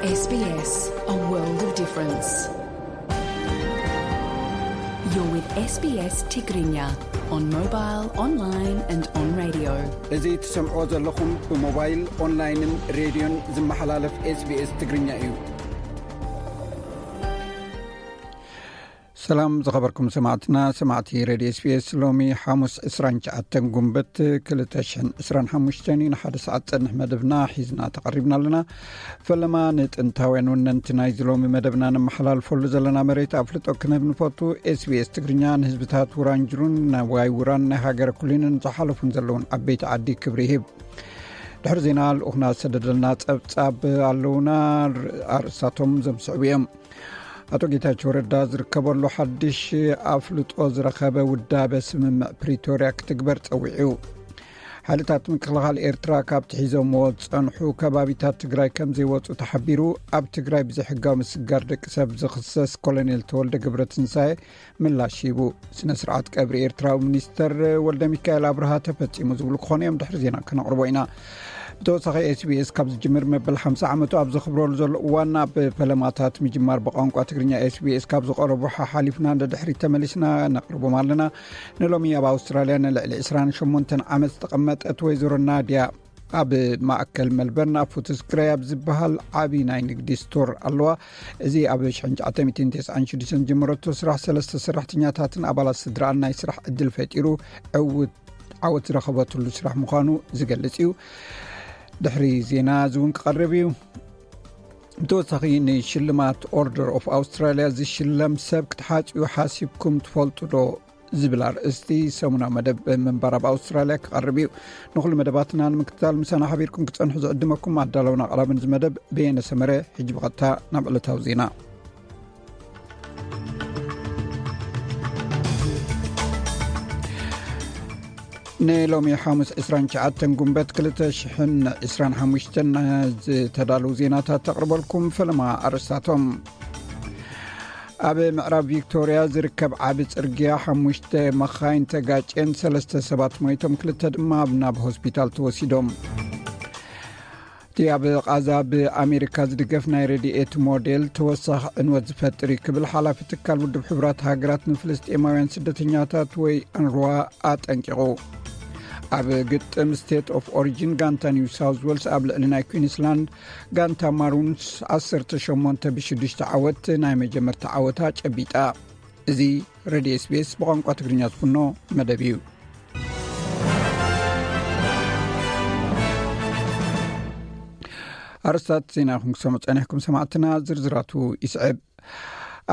S B S, a world of difference. You're with S B S Tigrinya on mobile, online and on radio. እዚ ትሰምዕዎ ዘለኹም ብሞባይል፣ ኦንላይንን ሬድዮን ዝመሓላለፍ SBS ትግርኛ እዩ። ሰላም ዝኸበርኩም ሰማዕትና፣ ሰማዕቲ ሬድዮ SBS። ሎሚ ሓሙስ ዕስራን ትሽዓተን ጉንበት ክልተ ሽሕን ዕስራን ሓሙሽተን እዩ። ንሓደ ሰዓት ጸንሕ መደብና ሒዝና ተቐሪብና ኣለና። ፈለማ ንጥንታውያን ወነንቲ ናይዚ ሎሚ መደብና ነመሓላልፈሉ ዘለና መሬት ኣፍልጦ ክንህብ ንፈቱ። SBS ትግርኛ ንህዝብታት ውራንጅሩን ናይ ዋይ ውራን ናይ ሃገረ ኩሊንን ዝሓለፉን ዘለውን ዓበይቲ ዓዲ ክብሪ ይህብ። ድሕሪ ዜና ልኡኽና ዝሰደደልና ጸብጻብ ኣለውና። ኣርእስታቶም ዘምስዕቡ እዮም። ኣቶ ጌታቸው ረዳ ዝርከበሉ ሓድሽ ኣፍልጦ ዝረኸበ ውዳበ ስምምዕ ፕሪቶርያ ክትግበር ጸዊዑ። ሓይልታት ምክልኻል ኤርትራ ካብቲ ሒዞምዎ ዝጸንሑ ከባቢታት ትግራይ ከም ዘይወጹ ተሓቢሩ። ኣብ ትግራይ ብዘይሕጋዊ ምስጋር ደቂ ሰብ ዝኽሰስ ኮሎኔል ተወልደ ገብረትንሳኤ ምላሽ ሂቡ። ስነ ስርዓት ቀብሪ ኤርትራዊ ሚኒስተር ወልደ ሚካኤል ኣብርሃ ተፈጺሙ ዝብሉ ክኾኑ እዮም። ድሕሪ ዜና ከነቕርቦ ኢና። ብተወሳኺ SBS ካብ ዝጅምር መበል ሓምሳ ዓመቱ ኣብ ዘኽብረሉ ዘሎ እዋን ኣብ ፈለማታት ምጅማር ብቋንቋ ትግርኛ SBS ካብ ዝቐረቡ ሓሓሊፍና ንድሕሪት ተመሊስና ነቕርቦም ኣለና። ንሎሚ ኣብ ኣውስትራልያ ንልዕሊ ዕስራን ሸሞንተን ዓመት ዝተቐመጠት ወይዘሮ ናድያ ኣብ ማእከል መልበርን ኣብ ፉትስክራይ ኣብ ዝበሃል ዓቢ ናይ ንግዲ ስቶር ኣለዋ። እዚ ኣብ ሽሕን ትሽዓተ ሚእትን ተስዓን ሽዱሽተን ዝጀመረቶ ስራሕ ሰለስተ ሰራሕተኛታትን ኣባላት ስድራኣን ናይ ስራሕ ዕድል ፈጢሩ ዕውት ዓወት ዝረኸበትሉ ስራሕ ምዃኑ ዝገልጽ እዩ። ድሕሪ ዜና እዚ እውን ክቐርብ እዩ። ብተወሳኺ ንሽልማት ኦርደር ኦፍ ኣውስትራልያ ዝሽለም ሰብ ክትሓጽዩ ሓሲብኩም ትፈልጡ ዶ? ዝብል ኣርእስቲ ሰሙናዊ መደብ ምንባር ኣብ ኣውስትራልያ ክቐርብ እዩ። ንኹሉ መደባትና ንምክትታል ምሳና ሓቢርኩም ክጸንሑ ዝዕድመኩም ኣዳለውን ኣቕራብን እዚ መደብ በየነ ሰመረ። ሕጂ ብቐጥታ ናብ ዕለታዊ ዜና። ንሎሚ ሓሙስ ዕስራን ትሽዓተን ጉንበት ክልተ ሽሕን ዕስራን ሓሙሽተን ዝተዳለዉ ዜናታት ተቕርበልኩም። ፈለማ ኣርእስታቶም። ኣብ ምዕራብ ቪክቶርያ ዝርከብ ዓቢ ጽርግያ ሓሙሽተ መኻይን ተጋጭየን ሰለስተ ሰባት ሞይቶም፣ ክልተ ድማ ናብ ሆስፒታል ተወሲዶም። እቲ ኣብ ቓዛ ብኣሜሪካ ዝድገፍ ናይ ረድኤት ሞዴል ተወሳኺ ዕንወት ዝፈጥር እዩ ክብል ሓላፊ ትካል ውድብ ሕቡራት ሃገራት ንፍልስጤማውያን ስደተኛታት ወይ ኣንርዋ ኣጠንቂቑ። ኣብ ግጥም ስቴት ኦፍ ኦሪጂን ጋንታ ኒው ሳውዝ ዌልስ ኣብ ልዕሊ ናይ ኩዊንስላንድ ጋንታ ማሩንስ ዓሰርተ ሸሞንተ ብሽዱሽተ ዓወት ናይ መጀመርታ ዓወታ ጨቢጣ። እዚ ሬድዮ SBS ብቋንቋ ትግርኛ ዝፍኖ መደብ እዩ። ኣርስታት ዜና ይኹን ክሰምዑ ጸኒሕኩም ሰማዕትና፣ ዝርዝራቱ ይስዕብ።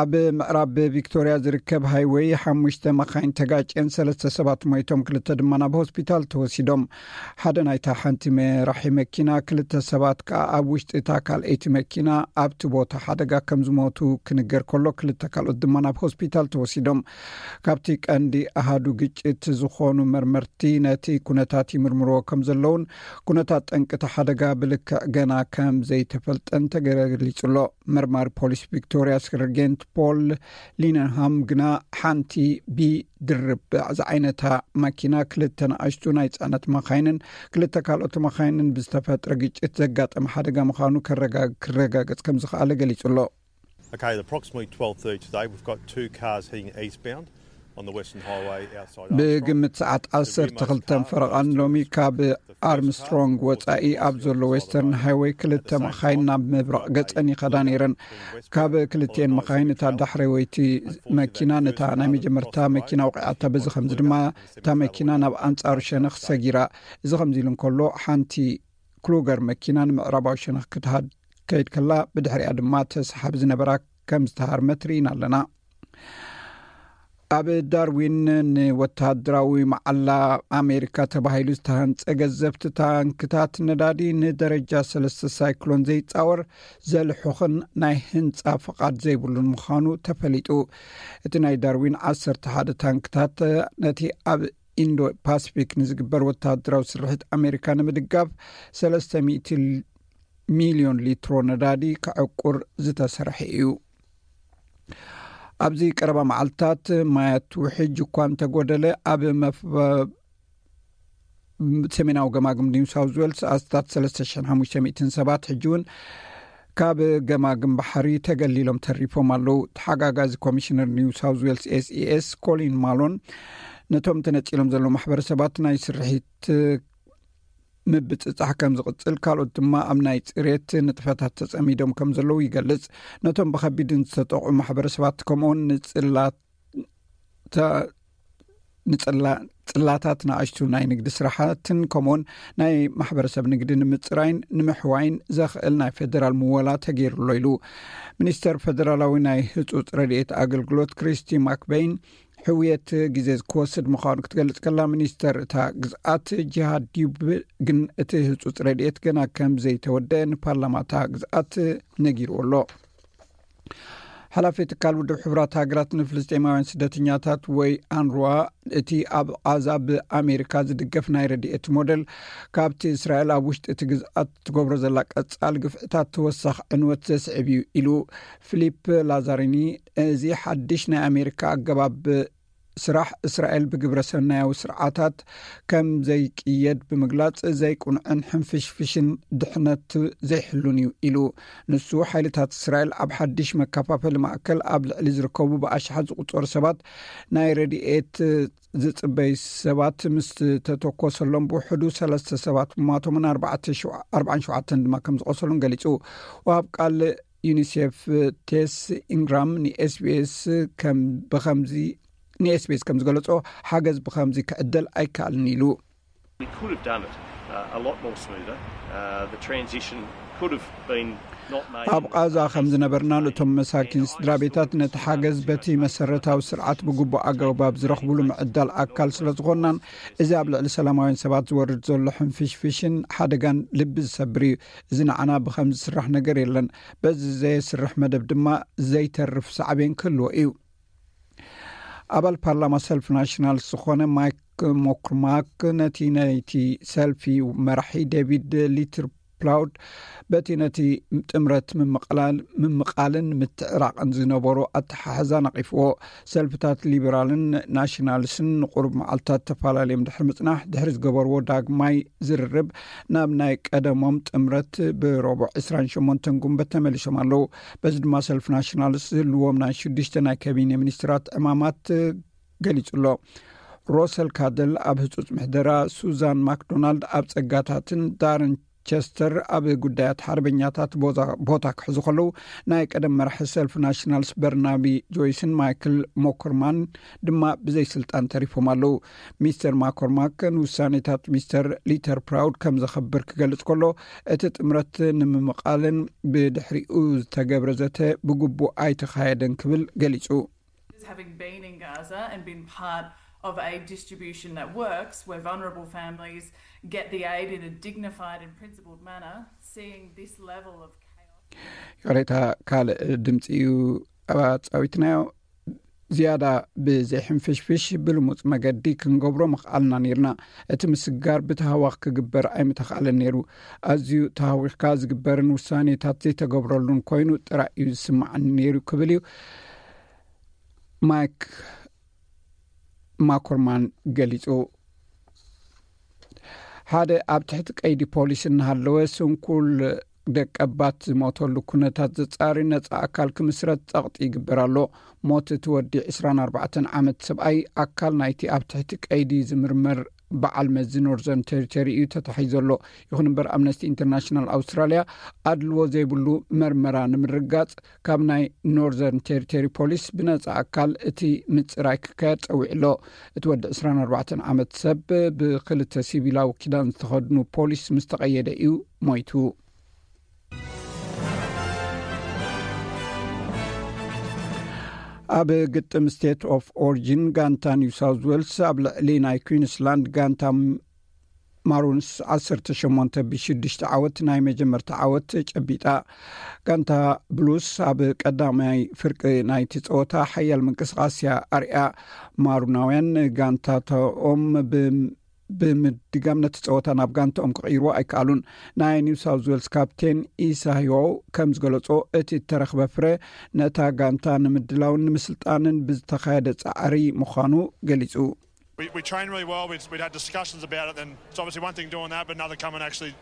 ኣብ ምዕራብ ቪክቶርያ ዝርከብ ሃይወይ ሓሙሽተ መኻይን ተጋጭየን ሰለስተ ሰባት ሞይቶም፣ ክልተ ድማ ናብ ሆስፒታል ተወሲዶም። ሓደ ናይታ ሓንቲ መራሒ መኪና፣ ክልተ ሰባት ከኣ ኣብ ውሽጢ እታ ካልኣይቲ መኪና ኣብቲ ቦታ ሓደጋ ከም ዝሞቱ ክንገር ከሎ፣ ክልተ ካልኦት ድማ ናብ ሆስፒታል ተወሲዶም። ካብቲ ቀንዲ ኣሃዱ ግጭት ዝኾኑ መርመርቲ ነቲ ኩነታት ይምርምርዎ ከም ዘለውን፣ ኩነታት ጠንቂ እቲ ሓደጋ ብልክዕ ገና ከም ዘይተፈልጠን ተገሊጹ ኣሎ። መርማሪ ፖሊስ ቪክቶርያ ሰርጀንት ፖል ሊነንሃም ግና፣ ሓንቲ ቢ ድርብ ዝዓይነታ መኪና፣ ክልተ ንኣሽቱ ናይ ጽዕነት መኻይንን ክልተ ካልኦት መኻይንን ብዝተፈጥረ ግጭት ዘጋጠመ ሓደጋ ምዃኑ ከረጋ-፣ ክረጋገጽ ከም ዝኸኣለ ገሊጹ ኣሎ። Okay, at approximately twelve thirty today, we've got two cars heading eastbound on the Western Highway outside Armstrong. ብግምት ሰዓት ዓሰርተ ክልተን ፈረቓን ሎሚ ካብ ኣርምስትሮንግ ወጻኢ ኣብ ዘሎ ዌስተርን ሃይወይ ክልተ መኻይን ናብ ምብራቕ ገጸን ይኸዳ ነይረን። ካብ ክልቲኤን መኻይን እታ ዳሕረወይቲ መኪና ነታ ናይ መጀመርታ መኪና ወቒዓታ። በዚ ከምዚ ድማ እታ መኪና ናብ ኣንጻሩ ሸነኽ ሰጊራ። እዚ ከምዚ ኢሉ እንከሎ፣ ሓንቲ ክሉገር መኪና ንምዕራባዊ ሸነኽ ክትሃድ ከይድ ከላ፣ ብድሕሪኣ ድማ ተሰሓቢ ዝነበራ ከም ዝተሃርመት ርኢና ኣለና። ኣብ ዳርዊን ንወተሃደራዊ መዓላ ኣሜሪካ ተባሂሉ ዝተሃንጸ ገዘፍቲ ታንክታት ነዳዲ ንደረጃ ሰለስተ ሳይክሎን ዘይጻወር ዘልሑኽን ናይ ህንጻ ፍቓድ ዘይብሉን ምዃኑ ተፈሊጡ። እቲ ናይ ዳርዊን ዓሰርተ ሓደ ታንክታት ነቲ ኣብ ኢንዶ ፓሲፊክ ንዝግበር ወተሃደራዊ ስርሒት ኣሜሪካ ንምድጋፍ ሰለስተ ሚእቲ ሚልዮን ሊትሮ ነዳዲ ከዕቁር ዝተሰርሐ እዩ። ኣብዚ ቀረባ መዓልታት ማያት ውሕጅ እኳ እንተጎደለ፣ ኣብ መፍ-፣ ሰሜናዊ ገማግም ኒው ሳውዝ ዌልስ ኣስታት ሰለስተ ሽሕን ሓሙሽተ ሚእትን ሰባት ሕጂ እውን ካብ ገማግም ባሕሪ ተገሊሎም ተሪፎም ኣለዉ። ተሓጋጋዚ ኮሚሽነር ኒው ሳውዝ ዌልስ ኤስኢኤስ ኮሊን ማሎን ነቶም ተነጺሎም ዘለዉ ማሕበረሰባት ናይ ስርሒት ምብጽጻሕ ከም ዝቕጽል፣ ካልኦት ድማ ኣብ ናይ ጽሬት ንጥፈታት ተጸሚዶም ከም ዘለዉ ይገልጽ። ነቶም ብኸቢድን ዝተጠቕዑ ማሕበረሰባት ከምኡውን ንጽላት ንጽላ- ጽላታት ንኣሽቱ ናይ ንግዲ ስራሓትን ከምኡውን ናይ ማሕበረሰብ ንግዲ ንምጽራይን ንምሕዋይን ዘኽእል ናይ ፌደራል ምወላ ተገይሩሎ ኢሉ። ሚኒስተር ፌደራላዊ ናይ ህጹጽ ረድኤት ኣገልግሎት ክሪስቲ ማክበይን ሕውየት ግዜ ክወስድ ምዃኑ ክትገልጽ ከላ፣ ሚኒስተር እታ ግዝኣት ጂሃድ ዲዩብ ግን እቲ ህጹጽ ረድኤት ገና ከም ዘይተወደአ ንፓርላማ እታ ግዝኣት ነጊርዎ ኣሎ። ሓላፊ ትካል ውድብ ሕቡራት ሃገራት ንፍልስጤማውያን ስደተኛታት ወይ ኣንሩዋ፣ እቲ ኣብ ቓዛ ብኣሜሪካ ዝድገፍ ናይ ረድኤት ሞደል፣ ካብቲ እስራኤል ኣብ ውሽጢ እቲ ግዝኣት ትገብሮ ዘላ ቀጻል ግፍዕታት ተወሳኺ ዕንወት ዘስዕብ እዩ ኢሉ። ፊሊፕ ላዛሪኒ፣ እዚ ሓድሽ ናይ ኣሜሪካ ኣገባብ ስራሕ እስራኤል ብግብረ ሰናያዊ ስርዓታት ከም ዘይቅየድ ብምግላጽ፣ ዘይቁንዕን ሕንፍሽፍሽን ድሕነት ዘይሕሉን እዩ ኢሉ። ንሱ፣ ሓይልታት እስራኤል ኣብ ሓድሽ መከፋፈሊ ማእከል ኣብ ልዕሊ ዝርከቡ ብኣሽሓት ዝቑጸሩ ሰባት ናይ ረድኤት ዝጽበዩ ሰባት ምስ ተተኮሰሎም፣ ብውሕዱ ሰለስተ ሰባት ምማቶምን ኣርባዕተ ሸው- ኣርባዓን ሸውዓተን ድማ ከም ዝቆሰሉን ገሊጹ። ወሃብ ቃል ዩኒሴፍ ቴስ ኢንግራም ንኤስቢኤስ ከም ብኸምዚ ንኤስቢኤስ ከም ዝገለጾ፣ ሓገዝ ብኸምዚ ክዕደል ኣይከኣልን ኢሉ። We could have done it uh, a lot more smoother. Uh, the transition could have been not made. ኣብ ቃዛ ከም ዝነበርና፣ ነቶም መሳኪን ስድራ ቤታት ነቲ ሓገዝ በቲ መሰረታዊ ስርዓት ብግቡእ ኣገባብ ዝረኽብሉ ምዕዳል ኣካል ስለ ዝኾንናን፣ እዚ ኣብ ልዕሊ ሰላማውያን ሰባት ዝወርድ ዘሎ ሕንፍሽፍሽን ሓደጋን ልቢ ዝሰብር እዩ። እዚ ንዓና ብኸም ዝስራሕ ነገር የለን። በዚ ዘየስርሕ መደብ ድማ ዘይተርፍ ሳዕቤን ክህልዎ እዩ። ኣባል ፓርላማ ሰልፍ ናሽናልስ ዝኾነ ማይክ ሞክርማክ ነቲ ናይቲ ሰልፊ መራሒ ዴቪድ ሊትርፕላውድ በቲ ነቲ ጥምረት ምምቕላል- ምምቓልን ምትዕራቕን ዝነበሮ ኣተሓሕዛ ነቒፍዎ። ሰልፍታት ሊበራልን ናሽናልስን ንቁሩብ መዓልታት ተፈላለዮም ድሕሪ ምጽናሕ፣ ድሕሪ ዝገበርዎ ዳግማይ ዝርርብ፣ ናብ ናይ ቀደሞም ጥምረት ብረቡዕ ዕስራን ሸሞንተን ጉንበት ተመሊሶም ኣለዉ። በዚ ድማ ሰልፊ ናሽናልስ ዝህልዎም ናይ ሽዱሽተ ናይ ካቢነ ሚኒስትራት ዕማማት ገሊጹ ኣሎ። ሮሰል ካደል ኣብ ህጹጽ ምሕደራ፣ ሱዛን ማክዶናልድ ኣብ ጸጋታትን ዳረን ቸስተር ኣብ ጉዳያት ሓርበኛታት ቦዛ- ቦታ ክሕዙ ከለዉ፣ ናይ ቀደም መራሒ ሰልፊ ናሽናልስ በርናቢ ጆይስን ማይክል ሞኮርማን ድማ ብዘይ ስልጣን ተሪፎም ኣለዉ። ሚስተር ማኮርማክ ንውሳኔታት ሚስተር ሊተር ፕራውድ ከም ዘኸብር ክገልጽ ከሎ፣ እቲ ጥምረት ንምምቓልን ብድሕሪኡ ዝተገብረ ዘተ ብግቡእ ኣይተኻየደን ክብል ገሊጹ። Having been in Gaza and been part of a distribution that works, where vulnerable families get the aid in a dignified and principled manner, seeing this level of chaos. ይቕሬታ፣ ካልእ ድምፂ እዩ ኣፃዊትናዮ። ዝያዳ ብዘይሕንፍሽፍሽ ብልሙፅ መገዲ ክንገብሮ ምኽኣልና ነይርና። እቲ ምስጋር ብተሃዋኽ ክግበር ኣይምተኽኣለን ነይሩ። ኣዝዩ ተሃዊኽካ ዝግበርን ውሳኔታት ዘይተገብረሉን ኮይኑ ጥራይ እዩ ዝስማዓኒ ነይሩ ክብል እዩ ማይክ ማኮርማን ገሊጹ። ሓደ ኣብ ትሕቲ ቀይዲ ፖሊስ እናሃለወ ስንኩል ደቀባት ዝሞተሉ ኩነታት ዘጻሪ ነጻ ኣካል ክምስረት ጸቕጢ ይግበር ኣሎ። ሞት እቲ ወዲ ዕስራን ኣርባዕተን ዓመት ሰብኣይ ኣካል ናይቲ ኣብ ትሕቲ ቀይዲ ዝምርመር በዓል መዚ ኖርዘርን ቴሪቶሪ እዩ ተታሒዙ ዘሎ። ይኹን እምበር፣ ኣምነስቲ ኢንተርናሽናል ኣውስትራልያ ኣድልዎ ዘይብሉ መርመራ ንምርጋጽ ካብ ናይ ኖርዘርን ቴሪቶሪ ፖሊስ ብነጻ ኣካል እቲ ምጽራይ ክካየድ ጸዊዑ ኣሎ። እቲ ወዲ ዕስራን ኣርባዕተን ዓመት ሰብ ብክልተ ሲቪላዊ ክዳን ዝተኸድኑ ፖሊስ ምስ ተቐየደ እዩ ሞይቱ። ኣብ ግጥም ስቴት ኦፍ ኦሪጂን፣ ጋንታ ኒው ሳውዝ ዌልስ ኣብ ልዕሊ ናይ ኩዊንስላንድ ጋንታ ማሩንስ ዓሰርተ ሸሞንተ ብሽዱሽተ ዓወት ናይ መጀመርታ ዓወት ጨቢጣ። ጋንታ ብሉስ ኣብ ቀዳማይ ፍርቂ ናይቲ ጸወታ ሓያል ምንቅስቓስ እያ ኣርያ። ማሩናውያን ጋንታኦም ብ- ብምድጋም ነቲ ጸወታ ናብ ጋንታኦም ክቕይርዎ ኣይከኣሉን። ናይ ኒው ሳውዝ ዌልስ ካፕቴን ኢሳዮ ከም ዝገለጾ፣ እቲ እተረኽበ ፍረ ነታ ጋንታ ንምድላውን ንምስልጣንን ብዝተኻየደ ጻዕሪ ምዃኑ ገሊጹ። We, we trained really well. We'd, we'd had discussions about it, and it's obviously one thing doing that, but another coming actually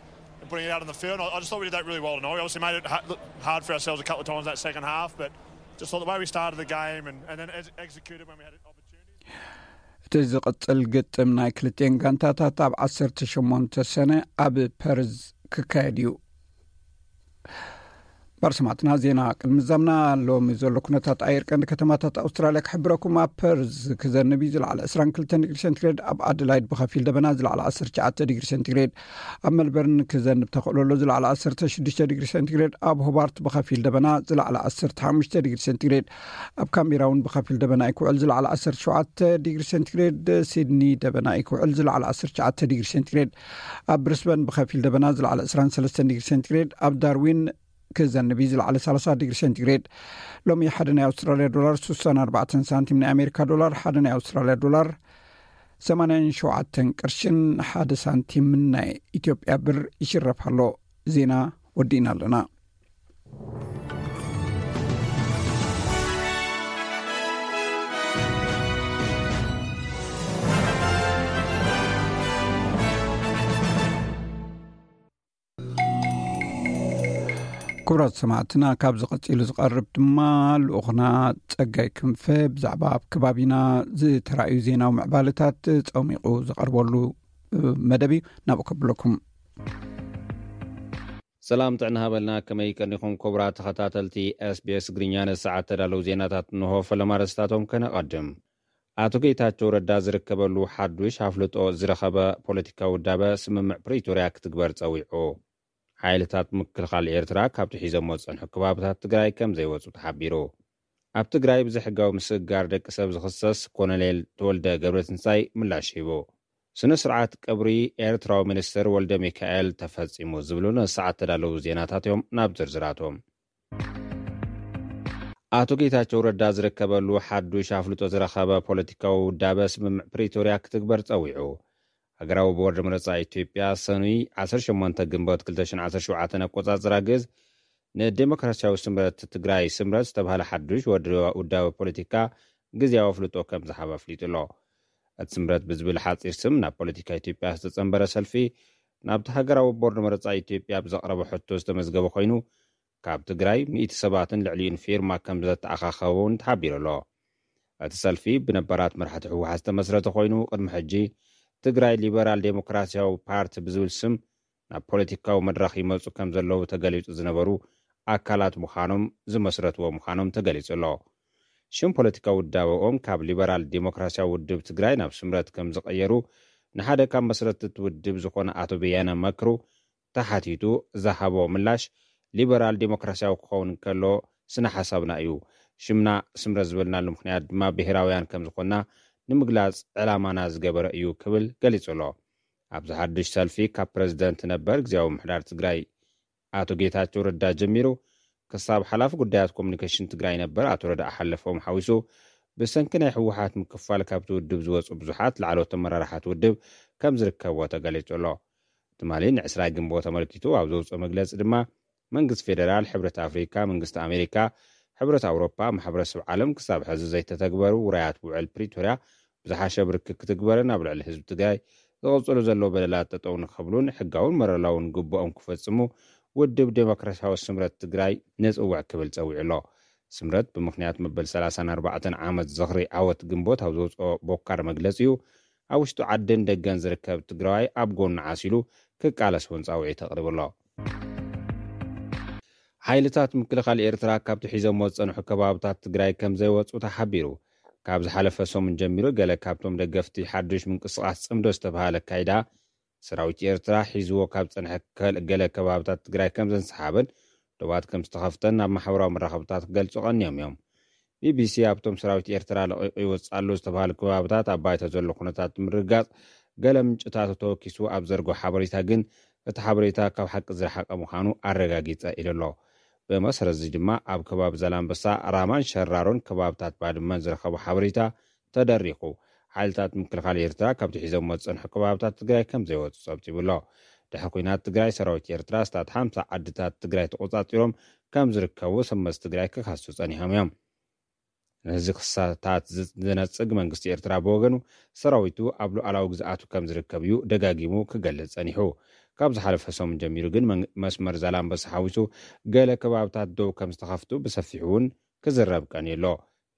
Putting it out on the field. I I just thought we did that really well tonight. We obviously made it ha- look hard for ourselves a couple of times that second half, but just thought the way we started the game and, and then ex- executed when we had an opportunity. እቲ ዝቕጽል ግጥም ናይ ክልቲኤን ጋንታታት ኣብ ዓሰርተ ሸሞንተ ሰነ ኣብ ፐርዝ ክካየድ እዩ። ባርሰማትና ዜና ቅድሚ ዛምና ሎሚ ዘሎ ኩነታት ኣየር ቀንዲ ከተማታት ኣውስትራልያ ክሕብረኩም። ኣብ ፐርዝ ክዘንብ እዩ፣ ዝለዓለ ዕስራን ክልተን ዲግሪ ሴንቲግሬድ፣ ኣብ ኣደላይድ ብኸፊል ደበና፣ ዝለዓለ ዓሰርተ ትሽዓተ ዲግሪ ሴንቲግሬድ፣ ኣብ መልበርን ክዘንብ ተኽእሎ ኣሎ፣ ዝለዓለ ዓሰርተ ሽዱሽተ ዲግሪ ሴንቲግሬድ፣ ኣብ ሆባርት ብኸፊል ደበና፣ ዝለዓለ ዓሰርተ ሓሙሽተ ዲግሪ ሴንቲግሬድ፣ ኣብ ካምቤራ እውን ብኸፊል ደበና እዩ ክውዕል፣ ዝለዓለ ዓሰርተ ሸውዓተ ዲግሪ ሴንቲግሬድ፣ ሲድኒ ደበና እዩ ክውዕል፣ ዝለዓለ ዓሰርተ ትሽዓተ ዲግሪ ሴንቲግሬድ፣ ኣብ ብሪስበን ብኸፊል ደበና፣ ዝለዓለ ዕስራን ሰለስተን ዲግሪ ሴንቲግሬድ፣ ኣብ ዳርዊን ክዘንብ እዩ፣ ዝለዓለ ሰላሳ ዲግሪ ሴንቲግሬድ። ሎሚ ሓደ ናይ ኣውስትራልያ ዶላር ስሳን ኣርባዕተን ሳንቲም፣ ናይ ኣሜሪካ ዶላር ሓደ ናይ ኣውስትራልያ ዶላር ሰማንያን ሸውዓተን ቅርሽን ሓደ ሳንቲምን ናይ ኢትዮጵያ ብር ይሽረፍ ኣሎ። ዜና ወዲእና ኣለና። ክቡራት ሰማዕትና፣ ካብዚ ቀጺሉ ዝቐርብ ድማ ልኡኽና ጸጋይ ክንፈ ብዛዕባ ኣብ ከባቢና ዝተራእዩ ዜናዊ ምዕባለታት ጸሚቑ ዝቐርበሉ መደብ እዩ። ናብኡ ከብለኩም። ሰላም ጥዕና ሃበልና። ከመይ ቀኒኹም ክቡራት ተኸታተልቲ ኤስቢኤስ ትግርኛ? ንሰዓት ተዳለዉ ዜናታት እንሆ። ፈለማ ርእስታቶም ከነቐድም። ኣቶ ጌታቸው ረዳ ዝርከበሉ ሓዱሽ ኣፍልጦ ዝረኸበ ፖለቲካዊ ውዳበ ስምምዕ ፕሪቶርያ ክትግበር ጸዊዑ። ሓይልታት ምክልኻል ኤርትራ ካብቲ ሒዞሞ ዝጸንሑ ከባብታት ትግራይ ከም ዘይወጹ ተሓቢሩ። ኣብ ትግራይ ብዘይሕጋዊ ምስግጋር ደቂ ሰብ ዝኽሰስ ኮሎኔል ተወልደ ገብረትንሳይ ምላሽ ሂቡ። ስነ ስርዓት ቀብሪ ኤርትራዊ ሚኒስትር ወልደ ሚካኤል ተፈጺሙ ዝብሉ ንሰዓት ተዳለዉ ዜናታት እዮም። ናብ ዝርዝራቶም። ኣቶ ጌታቸው ረዳ ዝርከበሉ ሓዱሽ ኣፍልጦ ዝረኸበ ፖለቲካዊ ውዳበ ስምምዕ ፕሪቶርያ ክትግበር ጸዊዑ። ሃገራዊ ቦርድ ምርጫ ኢትዮጵያ ሰኑይ ዓሰርተ ሸሞንተ ግንቦት ክልተ ሽሕን ዓሰርተ ሸውዓተን ኣቆጻጽራ ግእዝ ንዴሞክራሲያዊ ስምረት ትግራይ ስምረት ዝተባህለ ሓዱሽ ወድ-፣ ውዳበ ፖለቲካ ግዜያዊ ኣፍልጦ ከም ዝሃበ ኣፍሊጡ ኣሎ። እቲ ስምረት ብዝብል ሓጺር ስም ናብ ፖለቲካ ኢትዮጵያ ዝተጸንበረ ሰልፊ ናብቲ ሃገራዊ ቦርድ መረጻ ኢትዮጵያ ብዘቕረበ ሕቶ ዝተመዝገበ ኮይኑ፣ ካብ ትግራይ ሚእቲ ሰባትን ልዕሊኡን ፊርማ ከም ዘተኣኻኸበ እውን ተሓቢሩ ኣሎ። እቲ ሰልፊ ብነባራት መራሕቲ ህወሓት ዝተመስረተ ኮይኑ፣ ቅድሚ ሕጂ ትግራይ ሊበራል ዴሞክራሲያዊ ፓርቲ ብዝብል ስም ናብ ፖለቲካዊ መድረኽ ይመጹ ከም ዘለዉ ተገሊጹ ዝነበሩ ኣካላት ምዃኖም ዝመስረትዎ ምዃኖም ተገሊጹ ኣሎ። ሽም ፖለቲካዊ ውዳበኦም ካብ ሊበራል ዴሞክራሲያዊ ውድብ ትግራይ ናብ ስምረት ከም ዝቐየሩ ንሓደ ካብ መስረትቲ ውድብ ዝኾነ ኣቶ በያነ መክሩ ተሓቲቱ ዝሃቦ ምላሽ፣ ሊበራል ዴሞክራሲያዊ ክኸውን ከሎ ስነ ሓሳብና እዩ። ሽምና ስምረት ዝበልናሉ ምኽንያት ድማ ብሄራውያን ከም ዝኾንና ንምግላጽ ዕላማና ዝገበረ እዩ ክብል ገሊጹ ኣሎ። ኣብዚ ሓድሽ ሰልፊ ካብ ፕረዚደንት ነበር ግዜያዊ ምሕዳር ትግራይ ኣቶ ጌታቸው ረዳ ጀሚሩ ክሳብ ሓላፊ ጉዳያት ኮሙኒኬሽን ትግራይ ነበር ኣቶ ረዳእ ሓለፎም ሓዊሱ ብሰንኪ ናይ ህወሓት ምክፋል ካብቲ ውድብ ዝወፁ ብዙሓት ላዕለዎት ኣመራርሓት ውድብ ከም ዝርከብዎ ተገሊጹ ኣሎ። ትማሊ ንዕስራ ግንቦት ኣመልኪቱ ኣብ ዘውፅኦ መግለፂ ድማ መንግስቲ ፌደራል፣ ሕብረት ኣፍሪካ፣ መንግስቲ ኣሜሪካ፣ ሕብረት ኣውሮፓ፣ ማሕበረሰብ ዓለም ክሳብ ሕዚ ዘይተተግበሩ ውራያት ውዕል ፕሪቶርያ ብዝሓሸ ብርኪ ክትግበርን ኣብ ልዕሊ ህዝቢ ትግራይ ዝቕፅሉ ዘለዉ በደላት ጠጠው ንክብሉን ሕጋውን መረላውን ግቡኦም ክፈፅሙ ውድብ ዴሞክራሲያዊ ስምረት ትግራይ ንፅውዕ ክብል ፀዊዑ ኣሎ። ስምረት ብምኽንያት መበል ሰላሳን ኣርባዕተን ዓመት ዝኽሪ ዓወት ግንቦት ኣብ ዘውፅኦ ቦካር መግለፂኡ ኣብ ውሽጡ ዓድን ደገን ዝርከብ ትግራዋይ ኣብ ጎኑ ዓሲሉ ክቃለስ እውን ፃውዒት ኣቕሪቡ ኣሎ። ሓይልታት ምክልኻል ኤርትራ ካብቲ ሒዞሞ ዝጸንሑ ከባብታት ትግራይ ከም ዘይወጹ ተሓቢሩ። ካብ ዝሓለፈ ሰሙን ጀሚሩ ገለ ካብቶም ደገፍቲ ሓዱሽ ምንቅስቓስ ጽምዶ ዝተባህለ ኣካይዳ ሰራዊት ኤርትራ ሒዝዎ ካብ ጸንሐ ከል-፣ ገለ ከባብታት ትግራይ ከም ዘንሰሓበን ዶባት ከም ዝተኸፍተን ናብ ማሕበራዊ መራኸብታት ክገልጹ ቀንዮም እዮም። ቢቢሲ ኣብቶም ሰራዊት ኤርትራ ለቒቑ ይወጽእ ኣሎ ዝተባህሉ ከባብታት ኣብ ባይታ ዘሎ ኩነታት ንምርግጋጽ ገለ ምንጭታቱ ተወኪሱ ኣብ ዘርግሖ ሓበሬታ ግን እቲ ሓበሬታ ካብ ሓቂ ዝረሓቐ ምዃኑ ኣረጋጊጸ ኢሉ ኣሎ። ብመሰረት እዚ ድማ ኣብ ከባቢ ዛላምበሳ፣ ራማን ሸራሮን ከባብታት ባድመን ዝረኸቦ ሓበሬታ ተደሪኹ። ሓይልታት ምክልኻል ኤርትራ ካብቲ ሒዞሞ ዝጸንሑ ከባብታት ትግራይ ከም ዘይወጹ ጸብጺቡ ኣሎ። ድሕሪ ኲናት ትግራይ ሰራዊት ኤርትራ ስታት ሓምሳ ዓድታት ትግራይ ተቖጻጺሮም ከም ዝርከቡ ሰመዚ ትግራይ ክኸሱ ጸኒሖም እዮም። ነዚ ክሳታት ዝ-፣ ዝነጽግ መንግስቲ ኤርትራ ብወገኑ ሰራዊቱ ኣብ ሉዓላዊ ግዝኣቱ ከም ዝርከብ እዩ ደጋጊሙ ክገልጽ ጸኒሑ። ካብ ዝሓለፈ ሰሙን ጀሚሩ ግን መን- መስመር ዛላምበሳ ሓዊሱ ገለ ከባብታት ደው ከም ዝተኸፍቱ ብሰፊሑ እውን ክዝረብ ቀንዩ ኣሎ።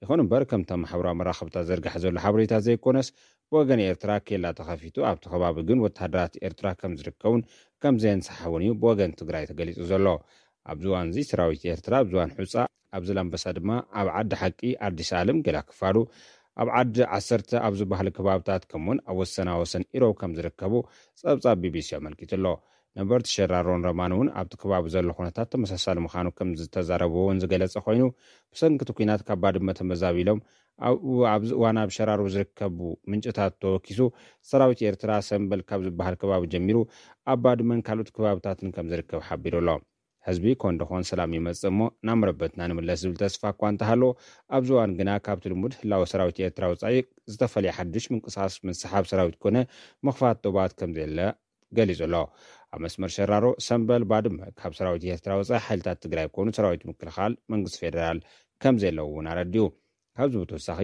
ይኹን እምበር፣ ከምቶም ማሕበራዊ መራኸብታት ዘርጋሕ ዘሎ ሓበሬታ ዘይኮነስ፣ ብወገን ኤርትራ ኬላ ተኸፊቱ ኣብቲ ከባቢ ግን ወተሃደራት ኤርትራ ከም ዝርከቡን ከም ዘየንሰሓውን እዩ ብወገን ትግራይ ተገሊጹ ዘሎ። ኣብዚ እዋን እዚ ሰራዊት ኤርትራ ኣብ ዝዋን ሑፃ፣ ኣብ ዛላምበሳ ድማ፣ ኣብ ዓዲ ሓቂ፣ ኣዲስ ኣለም፣ ገላ ክፋሉ፣ ኣብ ዓዲ ዓሰርተ ኣብ ዝበሃሉ ከባብታት ከምኡውን ኣብ ወሰና ወሰን ኢሮብ ከም ዝርከቡ ጸብጻብ ቢቢሲ ኣመልኪቱ ኣሎ። ነበርቲ ሸራሮን ረማን እውን ኣብቲ ከባቢ ዘሎ ኩነታት ተመሳሳሊ ምዃኑ ከም ዝተዛረቡ እውን ዝገለጸ ኮይኑ፣ ብሰንኪ እቲ ኲናት ካብ ባድመ ተመዛቢሎም ኣብኡ ኣብዚ እዋን ኣብ ሸራሮ ዝርከቡ ምንጭታት ተወኪሱ፣ ሰራዊት ኤርትራ ሰምበል ካብ ዝበሃል ከባቢ ጀሚሩ ኣብ ባድመን ካልኦት ከባብታትን ከም ዝርከብ ሓቢሩ ኣሎ። ህዝቢ ኮን ደኾን ሰላም ይመጽእ እሞ ናብ መረበትና ንምለስ ዝብል ተስፋ እኳ እንተሃለዎ፣ ኣብዚ እዋን ግና ካብቲ ልሙድ ህላወ ሰራዊት ኤርትራ ወጻኢ ዝተፈለየ ሓድሽ ምንቅስቓስ ምስሓብ ሰራዊት ኮነ ምኽፋት ዶባት ከም ዘየለ ገሊጹ ኣሎ። ኣብ መስመር ሸራሮ ሰምበል ባድመ ካብ ሰራዊት ኤርትራ ወጻኢ ሓይልታት ትግራይ ኮኑ ሰራዊት ምክልኻል መንግስቲ ፌደራል ከም ዘለዉ እውን ኣረዲኡ። ካብዚ ብተወሳኺ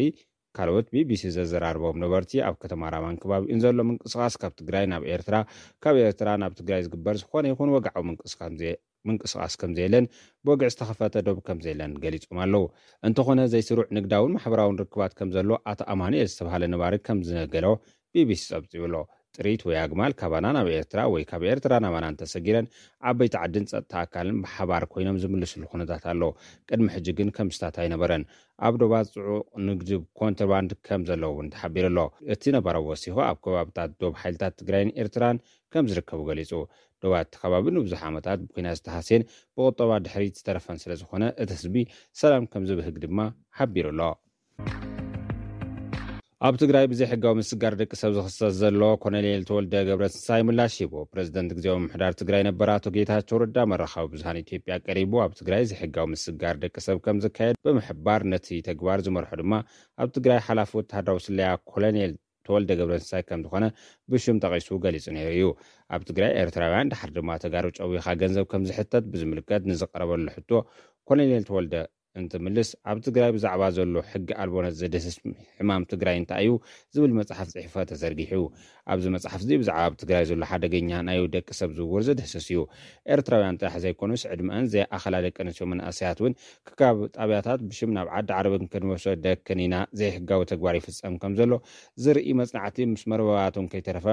ካልኦት ቢቢሲ ዘዘራርቦም ነበርቲ ኣብ ከተማ ራማን ከባቢኡን ዘሎ ምንቅስቓስ ካብ ትግራይ ናብ ኤርትራ፣ ካብ ኤርትራ ናብ ትግራይ ዝግበር ዝኾነ ይኹን ወግዓዊ ምንቅስቃስ ከም ዘየ- ምንቅስቃስ ከም ዘየለን ብወግዒ ዝተኸፈተ ዶብ ከም ዘየለን ገሊጾም ኣለዉ። እንተኾነ ዘይስሩዕ ንግዳውን ማሕበራውን ርክባት ከም ዘሎ ኣቶ ኣማኑኤል ዝተባሃለ ነባሪ ከም ዝነገሮ ቢቢሲ ጸብጺቡ ኣሎ። ጥሪት ወይ ኣግማል ካባና ናብ ኤርትራ ወይ ካብ ኤርትራ ናባና እንተሰጊረን ዓበይቲ ዓድን ጸጥታ ኣካልን ብሓባር ኮይኖም ዝምልስሉ ኩነታት ኣሎ። ቅድሚ ሕጂ ግን ከም ስታት ኣይነበረን። ኣብ ዶባት ጽዑቕ ንግዲ ኮንትሮባንድ ከም ዘለዎ እውን ተሓቢሩ ኣሎ። እቲ ነባራዊ ወሲኹ ኣብ ከባብታት ዶብ ሓይልታት ትግራይን ኤርትራን ከም ዝርከቡ ገሊጹ። ዶባት እቲ ከባቢ ንብዙሕ ዓመታት ብኲናት ዝተሃስየን ብቁጠባ ድሕሪት ዝተረፈን ስለ ዝኾነ እቲ ህዝቢ ሰላም ከም ዝብህግ ድማ ሓቢሩ ኣሎ። ኣብ ትግራይ ብዘይሕጋዊ ምስጋር ደቂ ሰብ ዝኽሰስ ዘሎ ኮሎኔል ተወልደ ገብረትንሳኤ ምላሽ ሂቡ። ፕረዚደንት ግዜያዊ ምምሕዳር ትግራይ ነበር ኣቶ ጌታቸው ረዳ መራኸቢ ብዙሃን ኢትዮጵያ ቀሪቡ ኣብ ትግራይ ዘይሕጋዊ ምስጋር ደቂ ሰብ ከም ዝካየድ ብምሕባር ነቲ ተግባር ዝመርሖ ድማ ኣብ ትግራይ ሓላፊ ወተሃደራዊ ስለያ ኮሎኔል ተወልደ ገብረትንሳኤ ከም ዝኾነ ብሽም ጠቒሱ ገሊጹ ነይሩ እዩ። ኣብ ትግራይ ኤርትራውያን ድሓር ድማ ተጋሩ ጨዊኻ ገንዘብ ከም ዝሕተት ብዝምልከት ንዝቀረበሉ ሕቶ ኮሎኔል ተወልደ እንትምልስ ኣብ ትግራይ ብዛዕባ ዘሎ ሕጊ ኣልቦነት ዘድህስስ ሕማም ትግራይ እንታይ እዩ ዝብል መጽሓፍ ጽሒፈ ተዘርጊሑ። ኣብዚ መጽሓፍ እዚ ብዛዕባ ኣብ ትግራይ ዘሎ ሓደገኛ ናይ ደቂ ሰብ ዝውውር ዘድህስስ እዩ። ኤርትራውያን ጥራሕ ዘይኮኑስ ዕድመአን ዘይኣኸላ ደቂ ኣንስትዮ መናእሰያት እውን ክካብ ጣብያታት ብሽም ናብ ዓዲ ዓረብን ክንወሰደክን ኢና ዘይሕጋዊ ተግባር ይፍጸም ከም ዘሎ ዝርኢ መጽናዕቲ ምስ መርበባቶም ከይተረፈ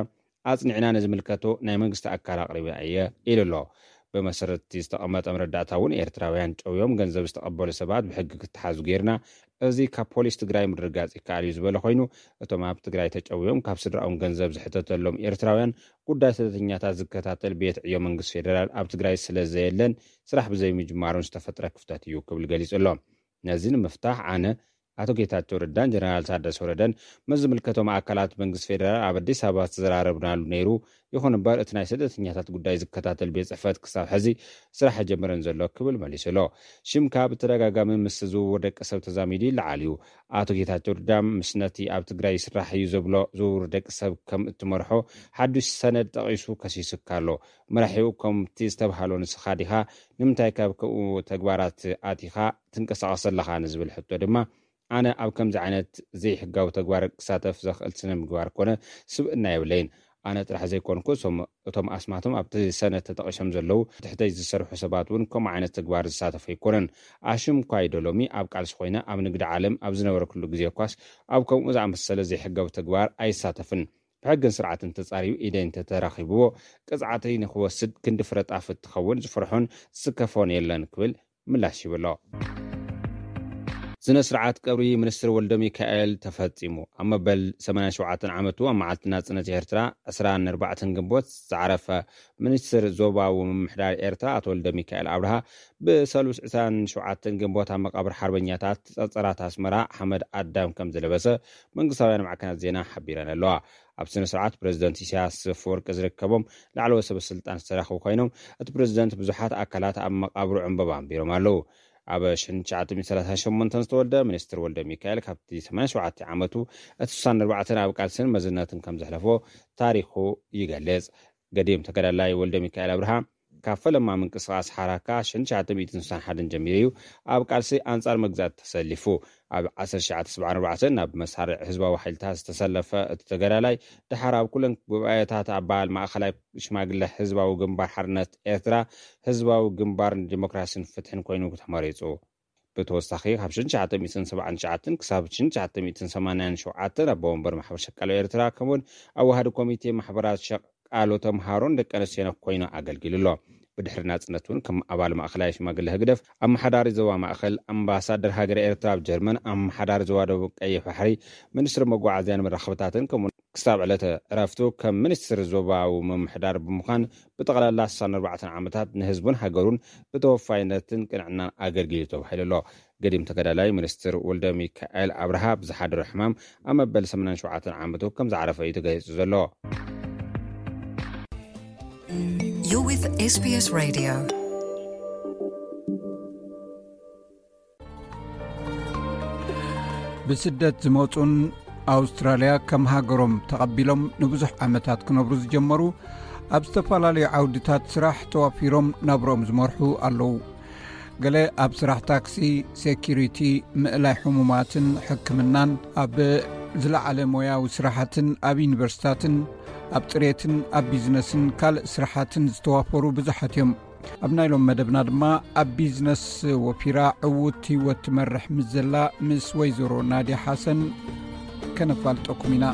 ኣጽኒዕና ንዝምልከቶ ናይ መንግስቲ ኣካል ኣቕሪበ እየ ኢሉ ኣሎ። ብመሰረት እቲ ዝተቐመጠ መረዳእታ እውን ኤርትራውያን ጨውዮም ገንዘብ ዝተቐበሉ ሰባት ብሕጊ ክተሓዙ ጌርና፣ እዚ ካብ ፖሊስ ትግራይ ምርግጋጽ ይከኣል እዩ ዝበለ ኮይኑ፣ እቶም ኣብ ትግራይ ተጨውዮም ካብ ስድራኦም ገንዘብ ዝሕተተሎም ኤርትራውያን ጉዳይ ስደተኛታት ዝከታተል ቤት ዕዮ መንግስቲ ፌደራል ኣብ ትግራይ ስለ ዘየለን ስራሕ ብዘይምጅማሩን ዝተፈጥረ ክፍተት እዩ ክብል ገሊጹ ኣሎ። ነዚ ንምፍታሕ ኣነ፣ ኣቶ ጌታቸው ረዳን ጀነራል ታደሰ ወረደን ምስ ዝምልከቶም ኣካላት መንግስቲ ፌደራል ኣብ ኣዲስ ኣበባ ዝተዘራረብናሉ ነይሩ። ይኹን እምበር እቲ ናይ ስደተኛታት ጉዳይ ዝከታተል ቤት ጽሕፈት ክሳብ ሕዚ ስራሕ ኣይጀመረን ዘሎ ክብል መሊሱ ኣሎ። ሽምካ ብተደጋጋሚ ምስ ዝውውር ደቂ ሰብ ተዛሚዱ ይለዓል እዩ። ኣቶ ጌታቸው ረዳ ምስ ነቲ ኣብ ትግራይ ይስራሕ እዩ ዘብሎ ዝውውር ደቂ ሰብ ከም እትመርሖ ሓዱሽ ሰነድ ጠቒሱ ከሲሱካ ኣሎ። መራሒኡ ከምቲ ዝተብሃሎ ንስኻ ዲኻ? ንምንታይ ካብ ከምኡ ተግባራት ኣቲኻ ትንቀሳቐስ ኣለኻ ንዝብል ሕቶ ድማ ኣነ ኣብ ከምዚ ዓይነት ዘይሕጋዊ ተግባር ክሳተፍ ዘኽእል ስነ ምግባር ኮነ ስብእና የብለይን። ኣነ ጥራሕ ዘይኮንኩ እቶም ኣስማቶም ኣብቲ ሰነድ ተጠቒሶም ዘለዉ ትሕተይ ዝሰርሑ ሰባት እውን ከምኡ ዓይነት ተግባር ዝሳተፉ ኣይኮነን። ኣሽም እኳ ይዶ ሎሚ ኣብ ቃልሲ ኮይነ ኣብ ንግዲ ዓለም ኣብ ዝነበረኩሉ ግዜ እኳስ ኣብ ከምኡ ዝኣመሰለ ዘይሕጋዊ ተግባር ኣይሳተፍን። ብሕግን ስርዓትን ተጻርዩ ኢደይ እንተተረኺብዎ ቅጽዓተይ ንክወስድ ክንዲ ፍረጣፍ እትኸውን ዝፍርሖን ዝስከፎን የለን ክብል ምላሽ ይብሎ። ስነ ስርዓት ቀብሪ ሚኒስትር ወልደ ሚካኤል ተፈጺሙ። ኣብ መበል ሰማንያን ሸውዓተን ዓመቱ ኣብ መዓልቲ ናጽነት ኤርትራ ዕስራን ኣርባዕተን ግንቦት ዝዓረፈ ሚኒስትር ዞባዊ ምምሕዳር ኤርትራ ኣቶ ወልደ ሚካኤል ኣብርሃ ብሰሉስ ዕስራን ሸውዓተን ግንቦት ኣብ መቃብር ሓርበኛታት ጸጸራት ኣስመራ ሓመድ ኣዳም ከም ዝለበሰ መንግስታውያን ማዕከናት ዜና ሓቢረን ኣለዋ። ኣብ ስነ ስርዓት ፕረዚደንት ኢሳያስ ኣፈወርቂ ዝርከቦም ላዕለዎት ሰበ ስልጣን ዝተረኸቡ ኮይኖም እቲ ፕረዚደንት ብዙሓት ኣካላት ኣብ መቃብሩ ዕምበባ ኣንቢሮም ኣለዉ። ኣብ ሽሕን ትሽዓተ ሚእትን ሰላሳን ሸሞንተን ዝተወልደ ሚኒስትር ወልደ ሚካኤል ካብቲ ሰማንያን ሸውዓተን ዓመቱ እቲ ስሳን ኣርባዕተን ኣብ ቃልስን መዝነትን ከም ዘሕለፎ ታሪኹ ይገልጽ። ገዲም ተጋዳላይ ወልደ ሚካኤል ኣብርሃ ካብ ፈለማ ምንቅስቃስ ሓራካ ሽሕን ትሽዓተ ሚእትን ስሳን ሓደን ጀሚሩ እዩ ኣብ ቃልሲ ኣንጻር መግዛእቲ ተሰሊፉ። ኣብ ዓሰርተ ትሽዓተ ሰብዓን ኣርባዕተን ናብ መሳርዕ ህዝባዊ ሓይልታት ዝተሰለፈ እቲ ተጋዳላይ፣ ድሓር ኣብ ኩለን ጉባኤታት ኣባል ማእኸላይ ሽማግለ ህዝባዊ ግንባር ሓርነት ኤርትራ፣ ህዝባዊ ግንባር ንዲሞክራሲን ፍትሕን ኮይኑ ተመሪጹ። ብተወሳኺ ካብ ሽሕን ትሽዓተ ሚእትን ሰብዓን ትሽዓተን ክሳብ ሽሕን ትሽዓተ ሚእትን ሰማንያን ሸውዓተን ኣቦ ወንበር ማሕበር ሸቃሎ ኤርትራ፣ ከምኡውን ኣዋሃዲ ኮሚቴ ማሕበራት ሸቃሎ ተምሃሮን ደቂ ኣንስትዮን ኮይኑ ኣገልጊሉ ኣሎ። ብድሕሪ ናጽነት እውን ከም ኣባል ማእኸላይ ሽማግለ ህግደፍ፣ ኣመሓዳሪ ዞባ ማእኸል፣ ኣምባሳደር ሃገረ ኤርትራ ኣብ ጀርመን፣ ኣመሓዳሪ ዞባ ደቡብ ቀይሕ ባሕሪ፣ ሚኒስትሪ መጓዓዝያን መራኸብታትን፣ ከምኡ ክሳብ ዕለተ ዕረፍቱ ከም ሚኒስትሪ ዞባዊ ምምሕዳር ብምዃን ብጠቕላላ ስሳን ኣርባዕተን ዓመታት ንህዝቡን ሃገሩን ብተወፋይነትን ቅንዕናን ኣገልጊሉ ተባሂሉ ኣሎ። ገዲም ተጋዳላይ ሚኒስትር ወልደ ሚካኤል ኣብርሃ ብዝሓደሮ ሕማም ኣብ መበል ሰማንያን ሸውዓተን ዓመቱ ከም ዝዓረፈ እዩ ተገሊጹ ዘሎ። You're with S B S Radio. ብስደት ዝመጹን ኣውስትራልያ ከም ሃገሮም ተቐቢሎም ንብዙሕ ዓመታት ክነብሩ ዝጀመሩ፣ ኣብ ዝተፈላለዩ ዓውድታት ስራሕ ተዋፊሮም ናብሮም ዝመርሑ ኣለዉ። ገለ ኣብ ስራሕ ታክሲ፣ ሴኪሪቲ፣ ምእላይ ሕሙማትን ሕክምናን፣ ኣብ ዝለዓለ ሞያዊ ስራሓትን ኣብ ዩኒቨርሲታትን ኣብ ጽሬትን ኣብ ቢዝነስን ካልእ ስራሓትን ዝተዋፈሩ ብዙሓት እዮም። ኣብ ናይ ሎም መደብና ድማ ኣብ ቢዝነስ ወፊራ ዕዉት ህይወት ትመርሕ ምስ ዘላ ምስ ወይዘሮ ናድያ ሓሰን ከነፋልጠኩም ኢና።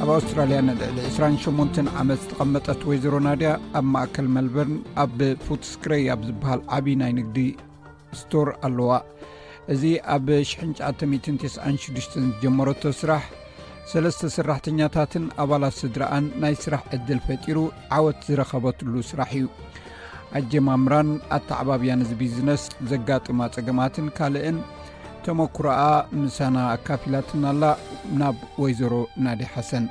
ኣብ ኣውስትራልያ ንልዕሊ ዕስራን ሸሞንተን ዓመት ዝተቐመጠት ወይዘሮ ናድያ ኣብ ማእከል መልበርን ኣብ ፉትስክረይ ኣብ ዝበሃል ዓቢ ናይ ንግዲ ስቶር ኣለዋ። እዚ ኣብ ሽሕን ትሽዓተ ሚእትን ተስዓን ሽዱሽተን ዝጀመረቶ ስራሕ ሰለስተ ሰራሕተኛታትን ኣባላት ስድራኣን ናይ ስራሕ ዕድል ፈጢሩ ዓወት ዝረኸበትሉ ስራሕ እዩ። ኣጀማምራን ኣተዓባብያን እዚ ቢዝነስ ዘጋጥማ ጸገማትን ካልእን ተመኩሮኣ ምሳና ኣካፊላትና ኣላ። ናብ ወይዘሮ ናዲ ሓሰን።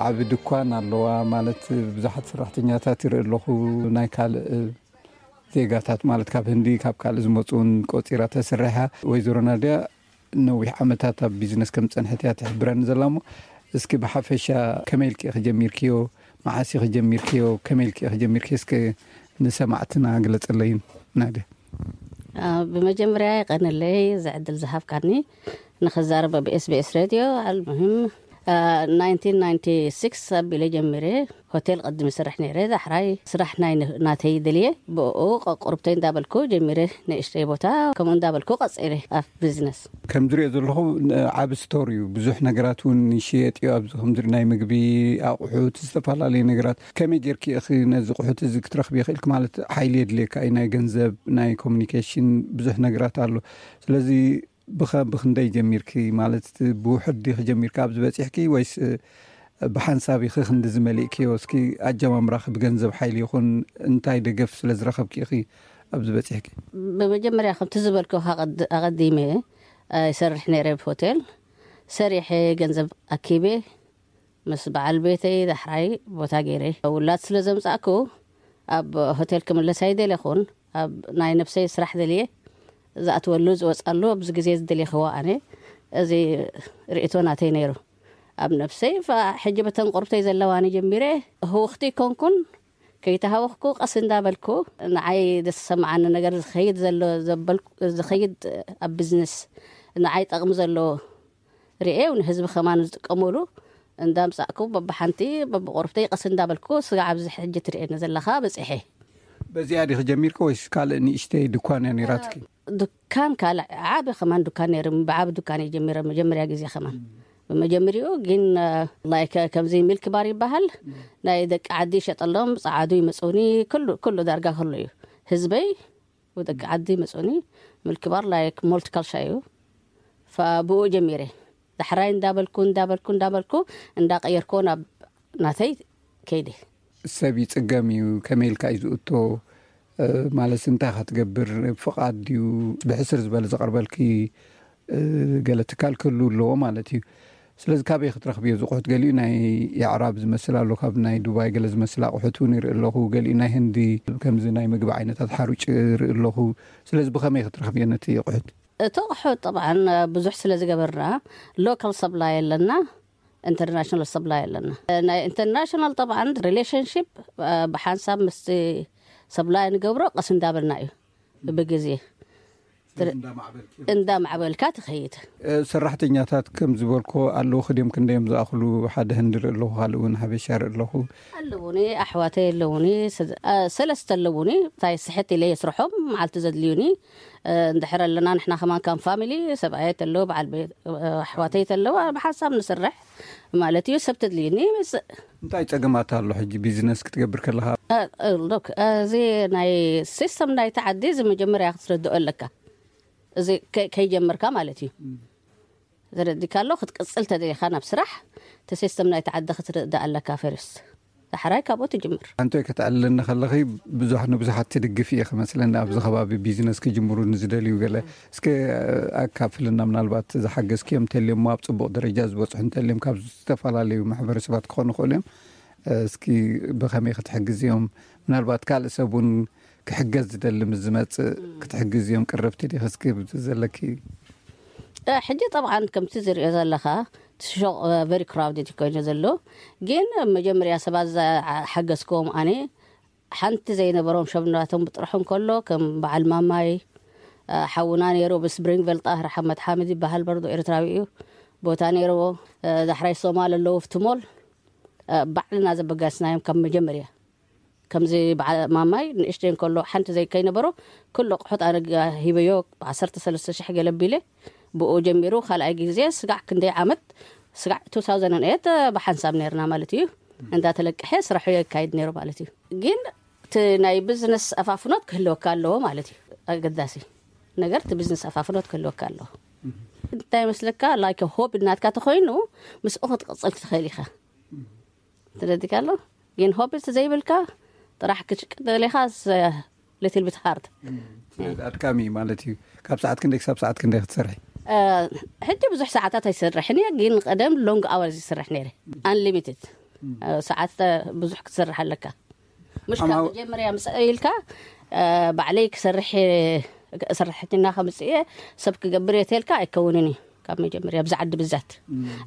ዓቢ ድኳን ኣለዋ ማለት ብዙሓት ሰራሕተኛታት ይርኢ ኣለኹ። ናይ ካልእ ዜጋታት ማለት ካብ ህንዲ ካብ ካልእ ዝመፁ እውን ቆፂራ ተስርሕ እያ። ወይዘሮ ናድያ ነዊሕ ዓመታት ኣብ ቢዝነስ ከም ዝፀንሐት እያ ትሕብረኒ ዘላ። እሞ እስኪ ብሓፈሻ ከመይ ኢልኪ ኢኺ ጀሚርክዮ? መዓስ ኢኺ ጀሚርክዮ? ከመይ ኢልኪ ኢኺ ጀሚርክዮ? እስኪ ንሰማዕትና ግለፀለይን ናድያ። ብመጀመርያ የቐንለይ እዚ ዕድል ዝሃብካኒ ንኽዛረብ ኣብ SBS ሬድዮ። ኣልሙሂም ናይንቲን ናይንቲ ሲክስ ኣቢለ ጀሚረ። ሆቴል ቀድሚ ስራሕ ነይረ። ዳሕራይ ስራሕ ናይ ናተይ ደልየ ብኡ ቁርብተይ እንዳበልኩ ጀሚረ። ንእሽተይ ቦታ ከምኡ እንዳበልኩ ቀፂለ ኣብ ቢዝነስ። ከም ዝሪኦ ዘለኹ ዓቢ ስቶር እዩ። ብዙሕ ነገራት እውን ይሽየጥ እዩ ኣብዚ። ከምዚ ናይ ምግቢ ኣቑሑት፣ ዝተፈላለዩ ነገራት። ከመይ ጌርኪ ኢኺ ነዚ ቁሑት እዚ ክትረኽቢ ይኽእልኪ? ማለት ሓይሊ የድልየካ እዩ፣ ናይ ገንዘብ፣ ናይ ኮሚኒኬሽን፣ ብዙሕ ነገራት ኣሎ። ስለዚ ብኸ ብኽንደይ ጀሚርኪ? ማለት ብውሑድ ዲኺ ጀሚርካ ኣብዚ በፂሕኪ ወይስ ብሓንሳብ ኢኺ ክንዲ ዝመሊእክዮ? እስኪ ኣጀማምራኺ ብገንዘብ ሓይሊ ይኹን እንታይ ደገፍ ስለ ዝረኸብኪ ኢኺ ኣብዚ በፂሕኪ? ብመጀመርያ ከምቲ ዝበልኩ ኣቐዲመ ይሰርሕ ነይረ ብሆቴል ሰሪሐ ገንዘብ ኣኪበ ምስ በዓል ቤተይ ዳሕራይ ቦታ ገይረ ውላድ ስለ ዘምፃእኩ ኣብ ሆቴል ክምለስ ኣይደለኹን። ኣብ ናይ ነብሰይ ስራሕ ደልየ ዝኣትወሉ ዝወፃሉ ኣብዚ ግዜ ዝደልየኽዎ ኣነ እዚ ርእቶ ናተይ ነይሩ ኣብ ነብሰይ። ሕጂ በተን ቁርብተይ ዘለዋኒ ጀሚረ ህውኽቲ ይኮንኩን ከይተሃወኽኩ ቀስ እንዳበልኩ ንዓይ ደስ ዝሰማዓኒ ነገር ዝኸይድ ዘሎ ዝኸይድ ኣብ ቢዝነስ ንዓይ ጠቕሚ ዘለዎ ርኤው ንህዝቢ ከማን ዝጥቀመሉ እንዳምጻእኩ በብሓንቲ በብቆርብተይ ቀስ እንዳበልኩ ስጋዕ ኣብዚ ሕጂ ትርእየኒ ዘለኻ በጺሐ። በዚኣ ዲኺ ጀሚርኪ ወይስ ካልእ ንእሽተይ ድኳን እያ ነይራትኪ? ድኳን ካልእ ዓቢ ከማን ድኳን ነይሩ። ብዓቢ ድኳን እየ ጀሚረ መጀመርያ ግዜ ከማን። ብመጀመሪኡ ግን ላይክ ከምዚ ሚልክ ባር ይበሃል ናይ ደቂ ዓዲ ይሸጠሎም ጸዓዱ ይመጹኒ ኩሉ ኩሉ ዳርጋ ኩሉ እዩ ህዝበይ ብደቂ ዓዲ መፅኡኒ ምልክባር ላይክ ሞልቲካልሻ እዩ። ብኡ ጀሚረ ዳሕራይ እንዳበልኩ እንዳበልኩ እንዳበልኩ እንዳቀየርኮ ናብ ናተይ ከይደ። ሰብ ይፅገም እዩ። ከመይ ኢልካ እዩ ዝእቶ? ማለት እንታይ ኢኻ ትገብር? ፍቓድ ድዩ? ብሕስር ዝበለ ዘቕርበልኪ ገለ ትካል ክህሉ ኣለዎ ማለት እዩ። ስለዚ ካበይ ክትረኽብዮ ዝቑሑት? ገሊኡ ናይ የዕራብ ዝመስል ኣሎ፣ ካብ ናይ ዱባይ ገለ ዝመስል ኣቑሑት እውን ይርኢ ኣለኹ። ገሊኡ ናይ ህንዲ ከምዚ ናይ ምግቢ ዓይነታት ሓሩጭ ይርኢ ኣለኹ። ስለዚ ብኸመይ ክትረኽብዮ ነቲ ኣቑሑት? እቲ ኣቑሑ ጠብዓን ብዙሕ ስለ ዝገበርና፣ ሎካል ሰብላይ ኣለና፣ ኢንተርናሽናል ሰብላይ ኣለና። ናይ ኢንተርናሽናል ጠብዓን ሪሌሽንሺፕ ብሓንሳብ ምስቲ ሰብላይ ንገብሮ፣ ቀስ እንዳበልና እዩ ብግዜ እንዳማዕበልካ ትኸይድ። ሰራሕተኛታት ከም ዝበልኮ ኣለዉ፣ ክድዮም ክንደዮም ዝኣኽሉ? ሓደ ህንዲ ርኢ ኣለኹ፣ ካልእ እውን ሓበሻ ርኢ ኣለኹ። ኣለዉኒ፣ ኣሕዋተይ ኣለዉኒ፣ ሰ- አ፣ ሰለስተ ኣለዉኒ። እንታይ ስሕት ኢለ የስርሖም፣ መዓልቲ ዘድልዩኒ። እ፣ እንድሕር ኣለና ንሕና ከማን ከም ፋሚሊ፣ ሰብኣየ ተለዉ፣ በዓል ቤት፣ እ፣ ኣሕዋተይ ተለዉ፣ ብሓንሳብ ንስርሕ ማለት እዩ። ሰብ ተድልዩኒ ይመጽእ። እንታይ ጸገማት ኣሎ ሕጂ ቢዝነስ ክትገብር ከለኻ? እ፣ እ፣ ሎክ፣ እዚ ናይ ሲስተም ናይቲ ዓዲ እዚ መጀመርያ ክትረድኦ ኣለካ። እዚ ከ-፣ ከይጀመርካ ማለት እዩ። ተረዲካ ኣሎ፣ ክትቅጽል ተደሊኻ ናብ ስራሕ፣ እቲ ሲስተም ናይቲ ዓዲ ክትርዳእ ኣለካ ፈርስት። ዳሕራይ ካብኡ ትጅምር። ኣንቶይ፣ ከተዕልለኒ ከለኺ ብዙሕ ንብዙሓት ትድግፍ እየ ክመስለኒ፣ ኣብዚ ከባቢ ቢዝነስ ክጅምሩ ንዝደልዩ ገለ። እስከ ኣካፍልና፣ ምናልባት ዝሓገዝክዮም እንተልዮም፣ ኣብ ጽቡቕ ደረጃ ዝበጽሑ እንተልዮም፣ ካብ ዝተፈላለዩ ማሕበረሰባት ክኾኑ ይኽእሉ እዮም። እስኪ ብኸመይ ክትሕግዝዮም? ምናልባት ካልእ ሰብ እውን ክሕገዝ ዝደሊ ምስ ዝመጽእ ክትሕግዝዮም ቅርብቲ ዲኺ? እስኪ ዘለኪ። እ፣ ሕጂ ጠብዓን ከምቲ ዝሪኦ ዘለኻ፣ እቲ ሹቕ ቨሪ ክራውድድ ኮይኑ ዘሎ። ግን መጀመርያ ሰባት ዝሓገዝክዎም ኣነ፣ ሓንቲ ዘይነበሮም ሸብናቶም ብጥርሑ እንከሎ፣ ከም በዓል ማማይ፣ እ፣ ሓውና ነይሩ፣ ብስፕሪንግቨል ጣህር ሓመድ ሓምድ ይበሃል፣ በርዶ ኤርትራዊ እዩ። ቦታ ነይርዎ። እ፣ ዳሕራይ ሶማል ኣለዉ፣ ኣብቲ ሞል፣ እ፣ ባዕልና ዘበጋስናዮም ካብ መጀመርያ። ከምዚ በዓል ማማይ ንእሽተይ እንከሎ ሓንቲ ዘይከይነበሮ፣ ኩሉ ኣቑሑት ኣነ ጋ-፣ ሂበዮ፣ ዓሰርተ ሰለስተ ሽሕ ገለ ቢለ፣ ብኡ ጀሚሩ። ካልኣይ ግዜ ስጋዕ ክንደይ ዓመት፣ ስጋዕ ቱ ታውዘንድ ኤይት ብሓንሳብ ነይርና ማለት እዩ። እንዳተለቀሐ ስራሑ የካይድ ነይሩ ማለት እዩ። ግን እቲ ናይ ቢዝነስ ኣፋፍኖት ክህልወካ ኣለዎ ማለት እዩ። ኣገዳሲ ነገር እቲ ቢዝነስ ኣፋፍኖት ክህልወካ ኣለዎ። እንታይ ይመስለካ፣ ላይክ ሆቢ ናትካ ተኾይኑ፣ ምስኡ ክትቅጽል ክትኽእል ኢኻ። ተረዲካ ኣሎ። ግን ሆቢ ዘይብልካ፣ ጥራሕ ክትሽቅጥ ደሊኻ፣ ስ-፣ ሊትል ቢት ሃርድ። ስለዚ ኣድካሚ ማለት እዩ። ካብ ሰዓት ክንደይ ክሳብ ሰዓት ክንደይ ክትሰርሒ? እ፣ ሕጂ ብዙሕ ሰዓታት ኣይሰርሕን እየ፣ ግን ቀደም ሎንግ ኣወርስ ይሰርሕ ነይረ። ኣንሊሚትድ፣ እ፣ ሰዓት፣ እ፣ ብዙሕ ክትሰርሕ ኣለካ። ምሽ ካብ ኣማው- መጀመርያ ምስ ኢልካ፣ እ፣ ባዕለይ ክሰርሕ፣ ሰራሕተኛ ከምጽእ እየ፣ ሰብ ክገብር እየ ተልካ ኣይከውንን እዩ። ካብ መጀመርያ ኣብዚ ዓዲ ብዛት።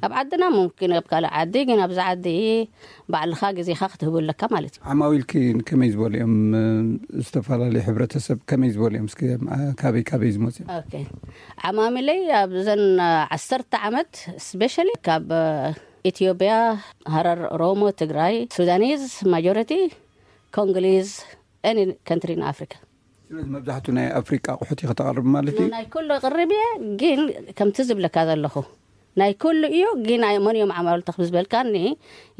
ኣብ ዓድና ሙምኪን ኣብ ካልእ ዓዲ፣ ግን ኣብዚ ዓዲ ባዕልኻ ግዜኻ ክትህቡ ኣለካ ማለት እዩ። ዓማዊልኪ ከመይ ዝበሉ እዮም? ዝተፈላለዩ ሕብረተሰብ ከመይ ዝበሉ እዮም? እስኪ፣ አ፣ ካበይ ካበይ ዝመጹ እዮም? ኦኬ። ዓማሚለይ ኣብዘን ዓሰርተ ዓመት፣ ስፔሻሊ ካብ፣ እ፣ ኢትዮጵያ፣ ሃረር፣ ኦሮሞ፣ ትግራይ፣ ሱዳኒዝ ማጆሪቲ፣ ኮንጎሊዝ፣ ኤኒ ካንትሪ ን ኣፍሪካ። ስለዚ መብዛሕቱ ናይ ኣፍሪቃ ኣቑሑት ኢኺ ተቕርቢ ማለት እዩ? ናይ ኩሉ ቅርብ እየ፣ ግን ከምቲ ዝብለካ ዘለኹ ናይ ኩሉ እዩ፣ ግን ኣይ-፣ መን እዮም ዓማውልቲ ክብ ዝበልካኒ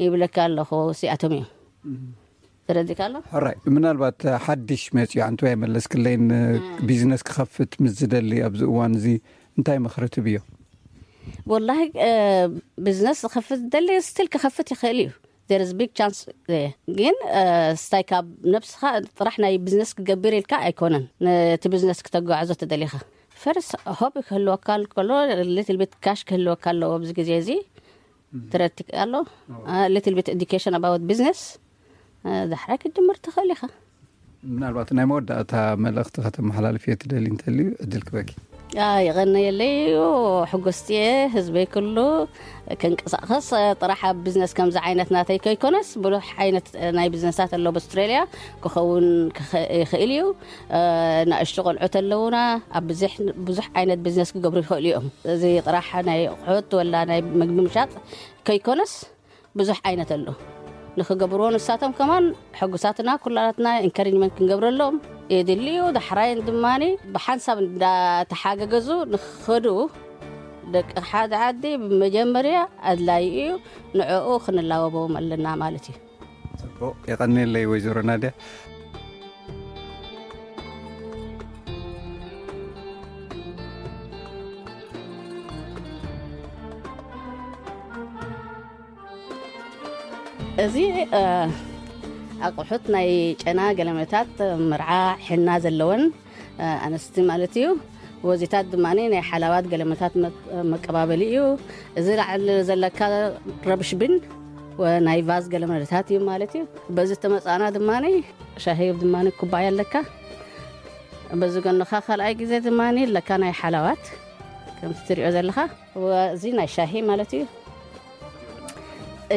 ይብለካ ኣለኹ፣ እዚኣቶም እዮም። ተረዲካ ኣሎ? ሕራይ፣ ምናልባት ሓድሽ መፂኡ፣ ኣንቱ ኣይመለስክለይን፣ ቢዝነስ ክኸፍት ምስ ዝደሊ ኣብዚ እዋን እዚ እንታይ ምኽሪ ትብዮ? ወላሂ፣ እ፣ ቢዝነስ ክኸፍት ዝደሊ ስቲል ክኸፍት ይኽእል እዩ። There is big chance there። ግን፣ እ፣ ስታይ ካብ ነብስኻ ጥራሕ ናይ ቢዝነስ ክገብር ኢልካ ኣይኮነን። ነቲ ቢዝነስ ክተጓዕዞ ተደሊኻ፣ ፈርስ ሆቢ ክህልወካ ከሎ፣ ሊትል ቢት ካሽ ክህልወካ ኣለዎ ኣብዚ ግዜ እዚ። ተረድትካ ኣሎ? አ፣ ሊትል ቢት ኤዱኬሽን ኣባውት ቢዝነስ፣ እ፣ ዳሕራይ ክትጅምር ትኽእል ኢኻ። ምናልባት ናይ መወዳእታ መልእኽቲ ከተመሓላልፍዮ ትደሊ እንተልዩ ዕድል ክበኪ። አ፣ የቐነየለይ እዩ፣ ሕጉስቲ እየ። ህዝበይ ኩሉ ክንቀሳቐስ፣ እ፣ ጥራሕ ኣብ ቢዝነስ ከምዚ ዓይነት ናተይ ከይኮነስ፣ ብዙሕ ዓይነት፣ እ፣ ናይ ቢዝነሳት ኣሎ ኣብ ኣውስትራልያ ክኸውን ክኸ-፣ ይኽእል እዩ። እ፣ ንኣሽቱ ቆልዑት ኣለዉና፣ ኣብ ብዙሕ፣ ብዙሕ ዓይነት ቢዝነስ ክገብሩ ይኽእሉ እዮም። እዚ ጥራሕ ናይ ኣቑሑት ወላ ናይ ምግቢ ምሻጥ ከይኮነስ፣ ብዙሕ ዓይነት ኣሎ። ንኽገብርዎ ንሳቶም ከማን ሕጉሳትና ኩላትና ኢንካሬጅመንት ክንገብረሎም የድሊ እዩ። ዳሕራይን ድማኒ ብሓንሳብ እንዳተሓገገዙ ንኽኸዱ ደቂ ሓደ ዓዲ ብመጀመርያ ኣድላዪ እዩ። ንዕኡ ክንላበቦም ኣለና ማለት እዩ። ጽቡቕ፣ የቐንየለይ ወይዘሮ ናድያ። እዚ፣ እ፣ ኣቑሑት ናይ ጨና ገለመታት፣ መርዓ፣ ሕና ዘለወን፣ እ፣ ኣንስቲ ማለት እዩ። ወዚታት ድማ ናይ ሓላባት ገለመታት መ-፣ መቀባበሊ እዩ። እዚ ላዕሊ ዘለካ ረብሽ ብን ወ-፣ ናይ ቫዝ ገለመታት እዩ ማለት እዩ። በዚ ተመጻና ድማ ሻሂ ድማ ኩባያ ኣለካ። በዚ ጎንኻ ካልኣይ ግዜ ድማ ኣለካ ናይ ሓላዋት፣ ከምቲ ትሪኦ ዘለኻ። እዚ ናይ ሻሂ ማለት እዩ።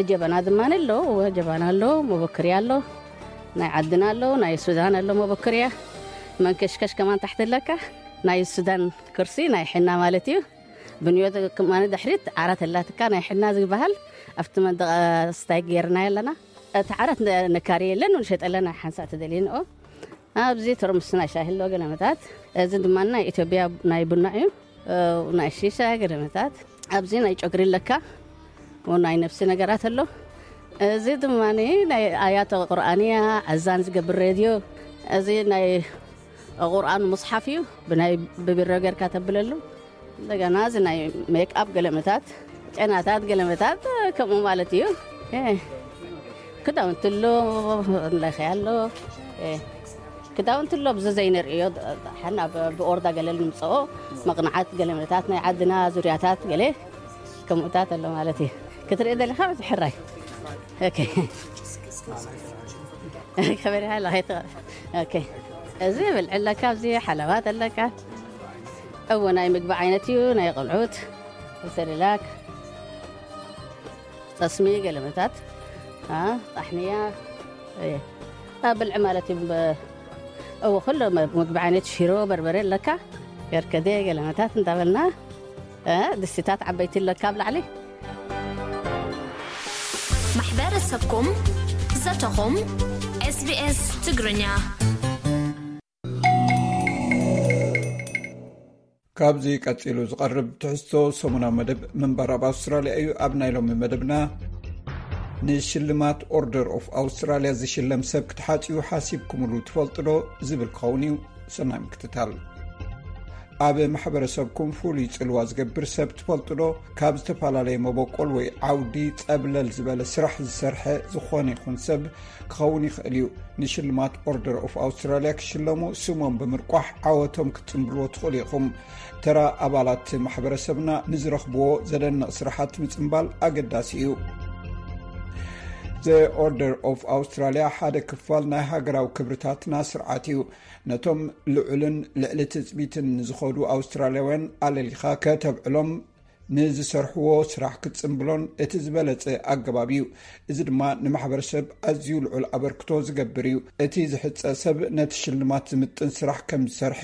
ጀበና ድማ ኣሎ፣ ጀበና ኣሎ፣ መበክርያ ኣሎ፣ ናይ ዓድና ኣሎ፣ ናይ ሱዳን ኣሎ መበክርያ። መንከሽከሽ ከማን ታሕቲ ኣለካ። ናይ ሱዳን ኩርሲ ናይ ሕና ማለት እዩ። ብንዮት ከማን ድሕሪት ዓራት ኣላትካ ናይ ሕና ዝበሃል ኣብቲ መንደቕ ስታይ ጌርና ኣለና። እቲ ዓራት ነ-፣ ነካሪ የለን፣ ንሸጠለን ሓንሳእ ተደልየንኦ። ኣብዚ ተርሙስ ናይ ሻሂ ኣሎ ገለመታት። እዚ ድማ ናይ ኢትዮጵያ ናይ ቡና እዩ። እ፣ ናይ ሺሻ ገለመታት። ኣብዚ ናይ ጨጉሪ ኣለካ፣ ው ናይ ነፍሲ ነገራት ኣሎ። እዚ ድማ ናይ ኣያተ ቁርኣን እያ፣ ኣዛን ዝገብር ሬድዮ። እዚ ናይ ቁርኣን ሙስሓፍ እዩ፣ ብናይ ብቢሮ ጌርካ ተብለሉ። እንደገና እዚ ናይ ሜክኣፕ ገለመታት፣ ጨናታት ገለመታት፣ ከምኡ ማለት እዩ። እ፣ ክዳውንቲ ኣሎ፣ ለኸ ኣሎ። እ፣ ክዳውንቲ ኣሎ፣ ብዚ ዘይንርእዮ፣ ሓና ብ-፣ ብኦርዳ ገለ ንምፅኦ፣ መቕናዓት ገለመታት፣ ናይ ዓድና ዙርያታት ገለ ከምኡታት ኣሎ ማለት እዩ። ክትርኢ ደሊኻ፣ እዚ ሕራይ። ኦኬ። ከበሪኻ ኣለኻ፣ ይትቐ-፣ ኦኬ። እዚ ብልዒ ኣለካ፣ ኣብዚ ሓለባት ኣለካ። እዎ፣ ናይ ምግቢ ዓይነት እዩ፣ ናይ ቆልዑት፣ ሰሪላክ፣ ጠስሚ፣ ገለመታት፣ አ፣ ጣሕንያ፣ እየ። አ፣ ብልዒ ማለት እዩ። በ-፣ እዎ፣ ኩሉ መ-፣ ምግቢ ዓይነት፣ ሽሮ፣ በርበረ ኣለካ፣ ገርከደ፣ ገለመታት እንዳበልና፣ እ፣ ድስቲታት ዓበይቲ ኣለካ ኣብ ላዕሊ። ማሕበረሰብኩም፣ ዘተኹም፣ ኤስ ቢ ኤስ ትግርኛ። ካብዚ ቀጺሉ ዝቐርብ ትሕዝቶ ሰሙናዊ መደብ ምንባር ኣብ ኣውስትራልያ እዩ። ኣብ ናይ ሎሚ መደብና፣ ንሽልማት ኦርደር ኦፍ ኣውስትራልያ ዝሽለም ሰብ ክትሓጽዩ ሓሲብኩምሉ ትፈልጡ ዶ? ዝብል ክኸውን እዩ። ሰናይ ምክትታል። ኣብ ማሕበረሰብኩም ፍሉይ ጽልዋ ዝገብር ሰብ ትፈልጡ ዶ? ካብ ዝተፈላለየ መበቆል ወይ ዓውዲ ጸብለል ዝበለ ስራሕ ዝሰርሐ ዝኾነ ይኹን ሰብ ክኸውን ይኽእል እዩ። ንሽልማት ኦርደር ኦፍ ኣውስትራልያ ክሽለሙ ስሞም ብምርቋሕ ዓወቶም ክትጽንብልዎ ትኽእሉ ኢኹም። ተራ ኣባላት ማሕበረሰብና ንዝረኽብዎ ዘደንቕ ስራሓት ምጽንባል ኣገዳሲ እዩ። ዘ ኦርደር ኦፍ ኣውስትራልያ ሓደ ክፋል ናይ ሃገራዊ ክብርታትና ስርዓት እዩ። ነቶም ልዑልን ልዕሊ ትጽቢትን ንዝኸዱ ኣውስትራልያውያን ኣለሊኻ ከተብዕሎም፣ ንዝሰርሕዎ ስራሕ ክትጽንብሎን እቲ ዝበለጸ ኣገባብ እዩ። እዚ ድማ ንማሕበረሰብ ኣዝዩ ልዑል ኣበርክቶ ዝገብር እዩ። እቲ ዝሕጸ ሰብ ነቲ ሽልማት ዝምጥን ስራሕ ከም ዝሰርሐ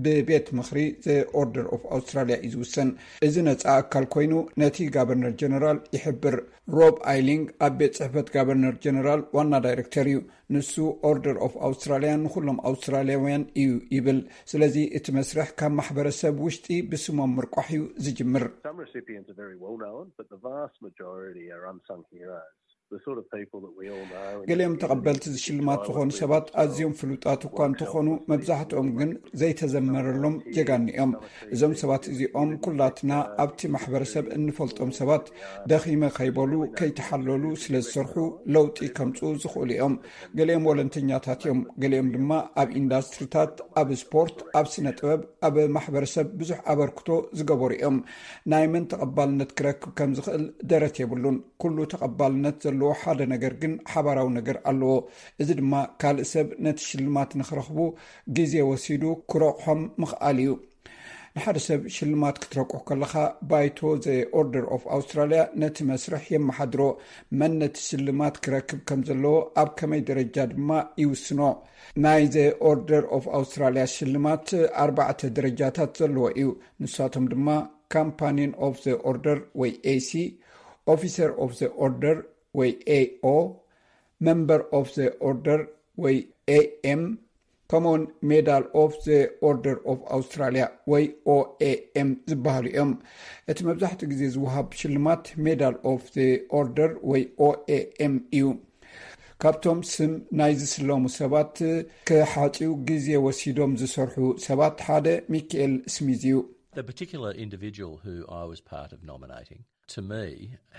ብቤት ምኽሪ ዘ ኦርደር ኦፍ ኣውስትራልያ እዩ ዝውሰን። እዚ ነጻ ኣካል ኮይኑ ነቲ ጋቨርነር ጀነራል ይሕብር። ሮብ ኣይሊንግ ኣብ ቤት ጽሕፈት ጋቨርነር ጀነራል ዋና ዳይሬክተር እዩ። ንሱ ኦርደር ኦፍ ኣውስትራልያ ንኹሎም ኣውስትራልያውያን እዩ ይብል። ስለዚ እቲ መስርሕ ካብ ማሕበረሰብ ውሽጢ ብስሞም ምርቋሕ እዩ ዝጅምር። Some recipients are very well known, but the vast majority are unsung heroes. The sort of people that we all know in the ገሊኦም community ተቐበልቲ ዝሽልማት ዝኾኑ ሰባት ኣዝዮም ፍሉጣት እኳ እንተኾኑ፣ መብዛሕትኦም ግን ዘይተዘመረሎም ጀጋኑ እዮም። እዞም ሰባት እዚኦም ኩላትና ኣብቲ ማሕበረሰብ እንፈልጦም ሰባት፣ ደኺመ ከይበሉ ከይተሓለሉ ስለ ዝሰርሑ ለውጢ ከምጽኡ ዝኽእሉ እዮም። ገሊኦም ወለንተኛታት እዮም፣ ገሊኦም ድማ ኣብ ኢንዳስትሪታት፣ ኣብ ስፖርት፣ ኣብ ስነ ጥበብ፣ ኣብ ማሕበረሰብ ብዙሕ ኣበርክቶ ዝገበሩ እዮም። ናይ መን ተቐባልነት ክረክብ ከም ዝኽእል ደረት የብሉን። ኩሉ ተቐባልነት ዘለዎ ሓደ ነገር ግን ሓባራዊ ነገር ኣለዎ። እዚ ድማ ካልእ ሰብ ነቲ ሽልማት ንኽረኽቡ ግዜ ወሲዱ ክረቑሖም ምኽኣል እዩ። ንሓደ ሰብ ሽልማት ክትረቁሕ ከለኻ፣ ባይቶ ዘ ኦርደር ኦፍ ኣውስትራልያ ነቲ መስርሕ የመሓድሮ። መን ነቲ ሽልማት ክረክብ ከም ዘለዎ፣ ኣብ ከመይ ደረጃ ድማ ይውስኖ። ናይ ዘ ኦርደር ኦፍ ኣውስትራልያ ሽልማት ኣርባዕተ ደረጃታት ዘለዎ እዩ። ንሳቶም ድማ ካምፓኒን ኦፍ ዘ ኦርደር ወይ ኤሲ፣ ኦፊሰር ኦፍ ዘ ኦርደር ወይ ኤኦ፣ መምበር ኦፍ ዘ ኦርደር ወይ ኤኤም፣ ከምኡውን ሜዳል ኦፍ ዘ ኦርደር ኦፍ ኣውስትራልያ ወይ ኦኤኤም ዝበሃሉ እዮም። እቲ መብዛሕትኡ ግዜ ዝወሃብ ሽልማት ሜዳል ኦፍ ዘ ኦርደር ወይ ኦኤኤም እዩ። ካብቶም ስም ናይ ዝስለሙ ሰባት ክሓጽዩ ግዜ ወሲዶም ዝሰርሑ ሰባት ሓደ ሚካኤል ስሚዝ እዩ። The particular individual who I was part of nominating, to me,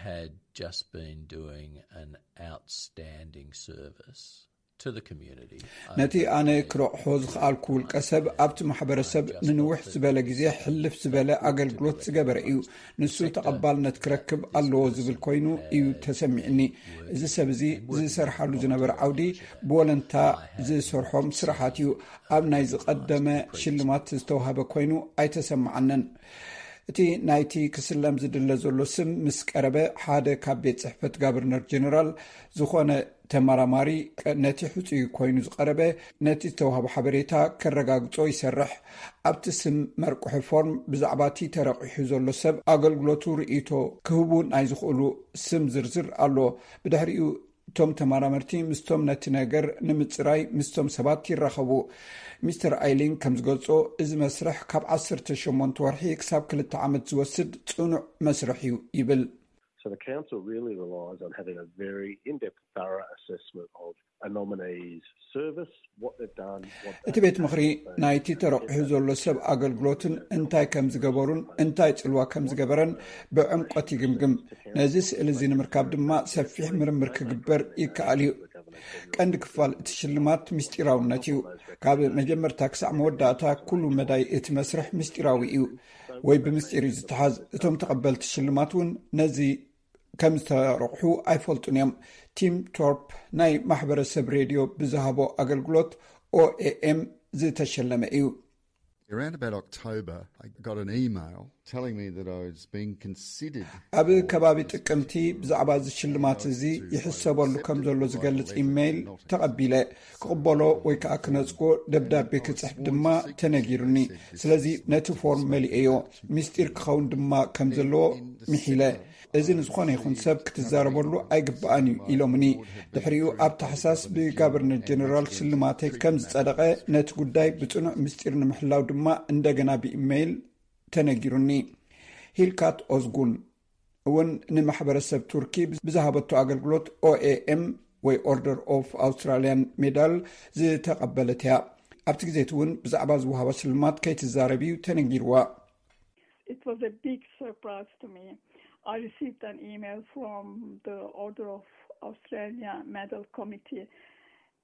had just been doing an outstanding service ነቲ ኣነ ክረቕሖ ዝኸኣልኩ ውልቀ ሰብ ኣብቲ ማሕበረሰብ ንንውሕ ዝበለ ግዜ ሕልፍ ዝበለ ኣገልግሎት ዝገበረ እዩ። ንሱ ተቐባልነት ክረክብ ኣለዎ ዝብል ኮይኑ እዩ ተሰሚዕኒ። እዚ ሰብ እዚ ዝሰርሓሉ ዝነበረ ዓውዲ ብወለንታ ዝሰርሖም ስራሓት እዩ። ኣብ ናይ ዝቐደመ ሽልማት ዝተዋህበ ኮይኑ ኣይተሰማዓንን። እቲ ናይቲ ክስለም ዝድለ ዘሎ ስም ምስ ቀረበ፣ ሓደ ካብ ቤት ጽሕፈት ጋቨርነር ጀነራል ዝኾነ ተመራማሪ ነቲ ሕጹይ ኮይኑ ዝቐረበ ነቲ ዝተዋህበ ሓበሬታ ከረጋግጾ ይሰርሕ። ኣብቲ ስም መርቅሒ ፎርም ብዛዕባ እቲ ተረቂሑ ዘሎ ሰብ ኣገልግሎቱ ርእይቶ ክህቡ ናይ ዝኽእሉ ስም ዝርዝር ኣሎ። ብድሕሪኡ እቶም ተመራመርቲ ምስቶም ነቲ ነገር ንምጽራይ ምስቶም ሰባት ይራኸቡ። ሚስተር ኣይሊንግ ከም ዝገልጾ፣ እዚ መስርሕ ካብ ዓሰርተ ሸሞንተ ወርሒ ክሳብ ክልተ ዓመት ዝወስድ ጽኑዕ መስርሕ እዩ ይብል። So the council really relies on having a very in-depth, thorough assessment of a nominee's service, what they've done, what እቲ ቤት ምኽሪ ናይቲ ተረቂሑ ዘሎ ሰብ ኣገልግሎትን እንታይ ከም ዝገበሩን እንታይ ጽልዋ ከም ዝገበረን ብዕምቆት ይግምግም። ነዚ ስእሊ እዚ ንምርካብ ድማ ሰፊሕ ምርምር ክግበር ይከኣል እዩ። ቀንዲ ክፋል እቲ ሽልማት ምስጢራውነት እዩ። ካብ መጀመርታ ክሳዕ መወዳእታ ኩሉ መዳይ እቲ መስርሕ ምስጢራዊ እዩ ወይ ብምስጢር እዩ ዝተሓዝ። እቶም ተቐበልቲ ሽልማት እውን ነዚ ከም ዝተረቑሑ ኣይፈልጡን እዮም። ቲም ቶርፕ ናይ ማሕበረሰብ ሬድዮ ብዝሃቦ ኣገልግሎት ኦኤኤም ዝተሸለመ እዩ። Around about October, I got an email telling me that I was being considered. ኣብ ከባቢ ጥቅምቲ ብዛዕባ እዚ ሽልማት እዚ ይሕሰበሉ ከም ዘሎ ዝገልጽ ኢሜይል ተቐቢለ። ክቕበሎ ወይ ከዓ ክነጽጎ ደብዳቤ ክጽሕፍ ድማ ተነጊሩኒ። ስለዚ ነቲ ፎርም መሊኤዮ። ምስጢር ክኸውን ድማ ከም ዘለዎ ምሒለ። እዚ ንዝኾነ ይኹን ሰብ ክትዛረበሉ ኣይግባኣን እዩ ኢሎምኒ። ድሕሪኡ ኣብ ታሕሳስ ብጋቨርነር ጀነራል ሽልማተይ ከም ዝጸደቐ፣ ነቲ ጉዳይ ብጽኑዕ ምስጢር ንምሕላው ድማ እንደገና ብኢሜይል ተነጊሩኒ። ሂልካት ኦዝጉን እውን ንማሕበረሰብ ቱርኪ ብዝሃበቶ ኣገልግሎት ኦኤኤም ወይ ኦርደር ኦፍ ኣውስትራሊያን ሜዳል ዝተቐበለት እያ። ኣብቲ ግዜ እቲ እውን ብዛዕባ ዝወሃባ ሽልማት ከይትዛረብ እዩ ተነጊርዋ። It was a big surprise to me. I received an email from the Order of Australia Medal Committee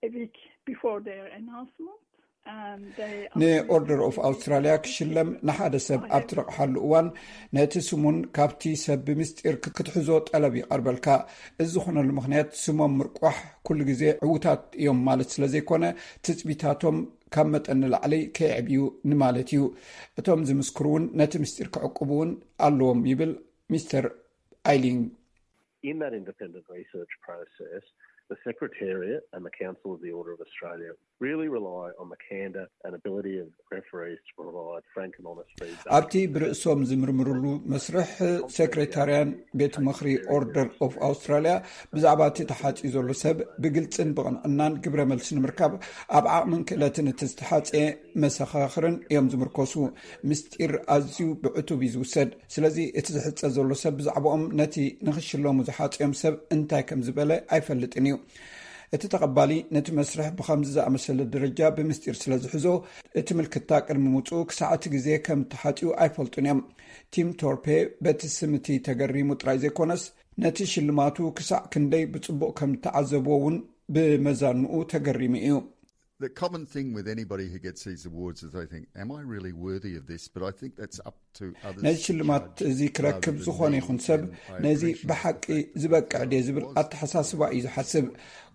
a week before their announcement. ንኦርደር ኦፍ ኣውስትራሊያ ክሽለም ንሓደ ሰብ ኣብ ትረቕሓሉ እዋን ነቲ ስሙን ካብቲ ሰብ ብምስጢር ክትሕዞ ጠለብ ይቐርበልካ። እዚ ዝኾነሉ ምኽንያት ስሞም ምርቋሕ ኩሉ ግዜ ዕዉታት እዮም ማለት ስለ ዘይኮነ ትጽቢታቶም ካብ መጠን ንላዕሊ ከየዕብዩ ንማለት እዩ። እቶም ዝምስክሩ እውን ነቲ ምስጢር ክዕቅቡ እውን ኣለዎም ይብል ሚስተር ኣይሊንግ። In that independent research process, the Secretariat and the Council of the Order of Australia really rely on the candour and ability of referees to provide frank and honest feedback. ኣብቲ ብርእሶም ዝምርምርሉ መስርሕ ሴክሬታርያን ቤት ምኽሪ ኦርደር ኦፍ ኣውስትራሊያ ብዛዕባ እቲ ተሓጺኡ ዘሎ ሰብ ብግልጽን ብቕንዕናን ግብረ መልሲ ንምርካብ ኣብ ዓቕምን ክእለትን እቲ ዝተሓጸየ መሰኻኽርን እዮም ዝምርኮሱ። ምስጢር ኣዝዩ ብዕቱብ እዩ ዝውሰድ። ስለዚ እቲ ዝሕጸ ዘሎ ሰብ ብዛዕባኦም ነቲ ንኽሽለሙ ዝሓጸዮም ሰብ እንታይ ከም ዝበለ ኣይፈልጥን እዩ። እቲ ተቐባሊ ነቲ መስርሕ ብኸምዚ ዝኣመሰለ ደረጃ ብምስጢር ስለ ዝሕዞ፣ እቲ ምልክታ ቅድሚ ምውጽኡ ክሳዕ እቲ ግዜ ከም ተሓጽዩ ኣይፈልጡን እዮም። ቲም ቶርፔ በቲ ስም እቲ ተገሪሙ ጥራይ ዘይኮነስ፣ ነቲ ሽልማቱ ክሳዕ ክንደይ ብጽቡቕ ከም እተዓዘብዎ እውን ብመዛንኡ ተገሪሙ እዩ። The common thing with anybody who gets these awards is they think, "Am I really worthy of this?" But I think that's up to others. ነዚ ሽልማት እዚ ክረክብ ዝኾነ ይኹን ሰብ ነዚ ብሓቂ ዝበቅዕ ድየ ዝብል ኣተሓሳስባ እዩ ዝሓስብ።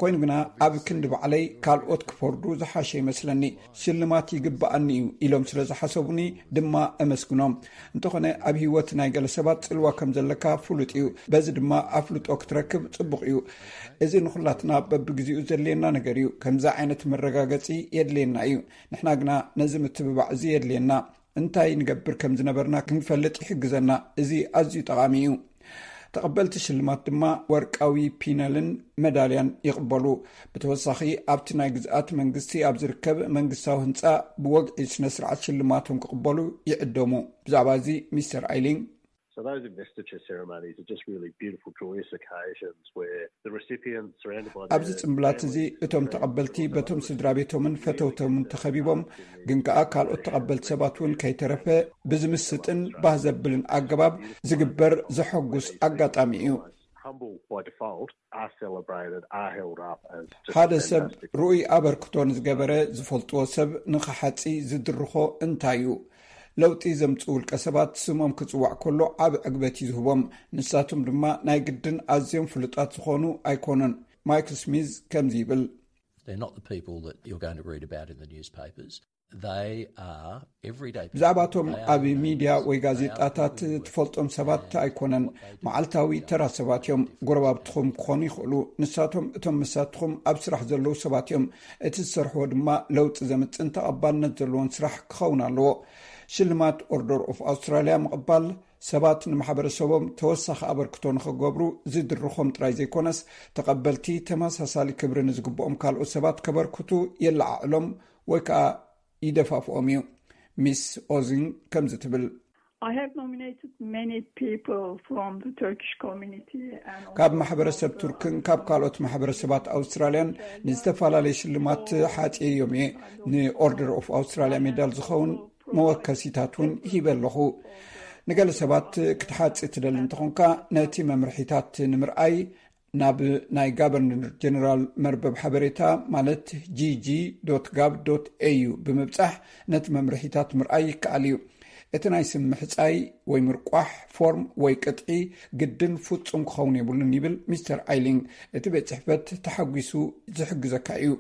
ኮይኑ ግና ኣብ ክንዲ ባዕለይ ካልኦት ክፈርዱ ዝሓሸ ይመስለኒ። ሽልማት ይግብኣኒ እዩ ኢሎም ስለ ዝሓሰቡኒ ድማ እመስግኖም። እንተኾነ ኣብ ህይወት ናይ ገለ ሰባት ጽልዋ ከም ዘለካ ፍሉጥ እዩ። በዚ ድማ ኣፍልጦ ክትረክብ ጽቡቕ እዩ። እዚ ንኹላትና በብግዜኡ ዘድልየና ነገር እዩ። ከምዚ ዓይነት መረጋገጺ የድልየና እዩ። ንሕና ግና ነዚ ምትብባዕ እዚ የድልየና። እንታይ ንገብር ከም ዝነበርና ክንፈልጥ ይሕግዘና። እዚ ኣዝዩ ጠቓሚ እዩ። ተቐበልቲ ሽልማት ድማ ወርቃዊ ፒነልን መዳልያን ይቕበሉ። ብተወሳኺ ኣብቲ ናይ ግዝኣት መንግስቲ ኣብ ዝርከብ መንግስታዊ ህንጻ ብወግዒ ስነ ስርዓት ሽልማቶም ክቕበሉ ይዕደሙ። ብዛዕባ እዚ ሚስተር ኣይሊንግ So those investiture ceremonies are just really beautiful, joyous occasions where the recipients, surrounded by ኣብዚ ጽምብላት እዚ እቶም ተቐበልቲ በቶም ስድራ ቤቶምን ፈተውቶምን ተኸቢቦም፣ ግን ከኣ ካልኦት ተቐበልቲ ሰባት እውን ከይተረፈ ብዝምስጥን ባህ ዘብልን ኣገባብ ዝግበር ዘሐጉስ ኣጋጣሚ እዩ። humble by default are celebrated, are held up as just ሓደ ሰብ ርኡይ ኣበርክቶ ንዝገበረ ዝፈልጥዎ ሰብ ንኽሓጺ ዝድርኾ እንታይ እዩ? ለውጢ ዘምጽኡ ውልቀ ሰባት ስሞም ክጽዋዕ ከሎ ዓቢ ዕግበት እዩ ዝህቦም። ንሳቶም ድማ ናይ ግድን ኣዝዮም ፍሉጣት ዝኾኑ ኣይኮኑን። ማይክል ስሚዝ ከምዚ ይብል። They're not the people that you're going to read about in the newspapers. They are everyday people. ብዛዕባቶም They are ኣብ the ሚድያ neighbours. ወይ They are the ጋዜጣታት people who work. ትፈልጦም ሰባት ኣይኮነን። መዓልታዊ ተራ ሰባት እዮም። ጎረባብትኹም ክኾኑ ይኽእሉ። ንሳቶም እቶም መሳትኹም ኣብ ስራሕ ዘለዉ ሰባት እዮም። እቲ ዝሰርሕዎ ድማ ለውጢ ዘምጽእን ተቐባልነት ዘለዎን ስራሕ ክኸውን ኣለዎ። ሽልማት ኦርደር ኦፍ ኣውስትራልያ ምቕባል ሰባት ንማሕበረሰቦም ተወሳኺ ኣበርክቶ ንኽገብሩ ዝድርኾም ጥራይ ዘይኮነስ፣ ተቐበልቲ ተመሳሳሊ ክብሪ ንዝግብኦም ካልኦት ሰባት ከበርክቱ የለዓዕሎም ወይ ከዓ ይደፋፍኦም እዩ። ሚስ ኦዚን ከምዚ ትብል። I have nominated many people from the Turkish community and also ካብ ማሕበረሰብ ቱርክን ካብ ካልኦት ማሕበረሰባት ኣውስትራልያን ንዝተፈላለየ ሽልማት ሓጽየዮም እየ። ንኦርደር ኦፍ ኣውስትራልያ ሜዳል ዝኸውን መወከሲታት እውን ሂበ ኣለኹ። ንገለ ሰባት ክትሓጽ ትደሊ እንተኾንካ፣ ነቲ መምርሒታት ንምርኣይ ናብ ናይ ጋቨርነር ጀነራል መርበብ ሓበሬታ ማለት gg.gov.au ብምብጻሕ ነቲ መምርሒታት ምርኣይ ይከኣል እዩ። እቲ ናይ ስም ምሕጻይ ወይ ምርቋሕ ፎርም ወይ ቅጥዒ ግድን ፍጹም ክኸውን የብሉን ይብል ሚስተር ኣይሊንግ። እቲ ቤት ጽሕፈት ተሓጒሱ ዝሕግዘካ እዩ።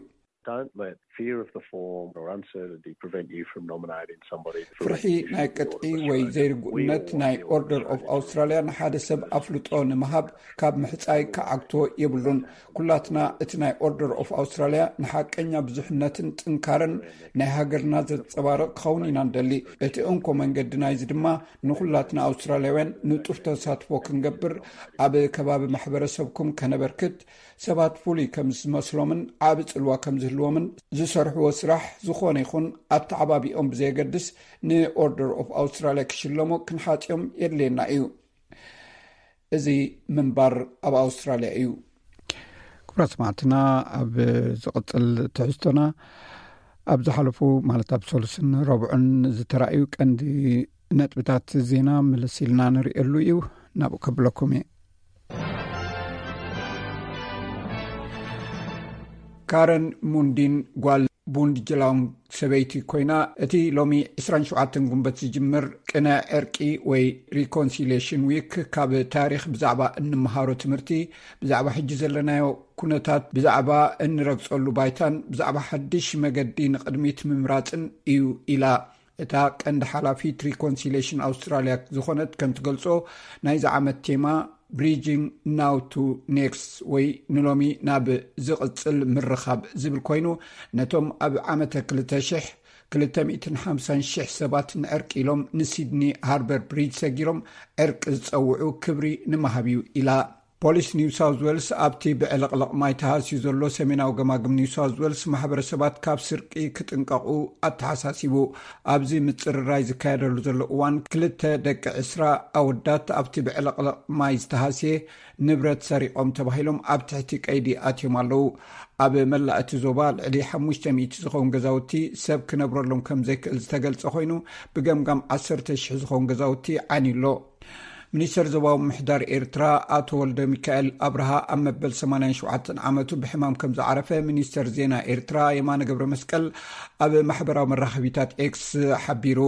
Don't let fear of the form or uncertainty prevent you from nominating somebody. ፍርሒ ናይ ቅጥዒ ወይ ዘይርጉእነት ናይ ኦርደር ኦፍ ኣውስትራልያ ንሓደ ሰብ ኣፍልጦ ንምሃብ ካብ ምሕጻይ ክዓግቶ የብሉን። ኩላትና እቲ ናይ ኦርደር ኦፍ ኣውስትራልያ ንሓቀኛ ብዙሕነትን ጥንካረን ናይ ሃገርና ዘንጸባርቕ ክኸውን ኢና ንደሊ። እቲ እንኮ መንገዲ ናይዚ ድማ ንኹላትና ኣውስትራልያውያን ንጡፍ ተሳትፎ ክንገብር፣ ኣብ ከባቢ ማሕበረሰብኩም ከነበርክት፣ ሰባት ፍሉይ ከም ዝመስሎምን ዓቢ ጽልዋ ከም ዝህልዎምን ዝሰርሕዎ ስራሕ ዝኾነ ይኹን ኣተዓባቢኦም ብዘየገድስ ንኦርደር ኦፍ ኣውስትራልያ ክሽለሙ ክንሓጽዮም የድልየና እዩ። እዚ ምንባር ኣብ ኣውስትራልያ እዩ። ክቡራት ሰማዕትና፣ ኣብ ዝቕጽል ትሕዝቶና ኣብ ዝሓለፉ ማለት ኣብ ሰሉስን ረቡዕን ዝተራእዩ ቀንዲ ነጥብታት ዜና ምልስ ኢልና ንርእየሉ እዩ። ናብኡ ከብለኩም እየ። ካረን ሙንዲን ጓል ቡንድ ጅላውንግ ሰበይቲ ኮይና፣ እቲ ሎሚ ዕስራን ሸውዓተን ጉንበት ዝጅምር ቅነ ዕርቂ ወይ ሪኮንሲሌሽን ዊክ ካብ ታሪኽ ብዛዕባ እንመሃሮ ትምህርቲ፣ ብዛዕባ ሕጂ ዘለናዮ ኩነታት፣ ብዛዕባ እንረግጸሉ ባይታን ብዛዕባ ሓድሽ መገዲ ንቕድሚት ምምራጽን እዩ ኢላ። እታ ቀንዲ ሓላፊት ሪኮንሲሌሽን ኣውስትራልያ ዝኾነት ከም ትገልጾ፣ ናይዚ ዓመት ቴማ ብሪጂንግ ናው ቱ ኔክስት ወይ ንሎሚ ናብ ዝቕጽል ምርኻብ ዝብል ኮይኑ፣ ነቶም ኣብ ዓመተ ክልተ ሽሕ ክልተ ሚእትን ሓምሳን ሽሕ ሰባት ንዕርቂ ኢሎም ንሲድኒ ሃርበር ብሪጅ ሰጊሮም ዕርቂ ዝጸውዑ ክብሪ ንምሃብ እዩ ኢላ። ፖሊስ ኒው ሳውዝ ዌልስ ኣብቲ ብዕልቕልቕ ማይ ተሃስዩ ዘሎ ሰሜናዊ ገማግም ኒው ሳውዝ ዌልስ ማሕበረሰባት ካብ ስርቂ ክጥንቀቑ ኣተሓሳሲቡ። ኣብዚ ምጽርራይ ዝካየደሉ ዘሎ እዋን ክልተ ደቂ ዕስራ ኣወዳት ኣብቲ ብዕልቕልቕ ማይ ዝተሃስየ ንብረት ሰሪቖም ተባሂሎም ኣብ ትሕቲ ቀይዲ ኣትዮም ኣለዉ። ኣብ መላእ እቲ ዞባ ልዕሊ ሓሙሽተ ሚእቲ ዝኸውን ገዛውቲ ሰብ ክነብረሎም ከም ዘይክእል ዝተገልጸ ኮይኑ፣ ብገምጋም ዓሰርተ ሽሕ ዝኸውን ገዛውቲ ዓንዩ ኣሎ። ሚኒስተር ዞባዊ ምሕዳር ኤርትራ ኣቶ ወልደ ሚካኤል ኣብርሃ ኣብ መበል ሰማንያን ሸውዓተን ዓመቱ ብሕማም ከም ዝዓረፈ ሚኒስተር ዜና ኤርትራ የማነ ገብረ መስቀል ኣብ ማሕበራዊ መራኸቢታት ኤክስ ሓቢሩ።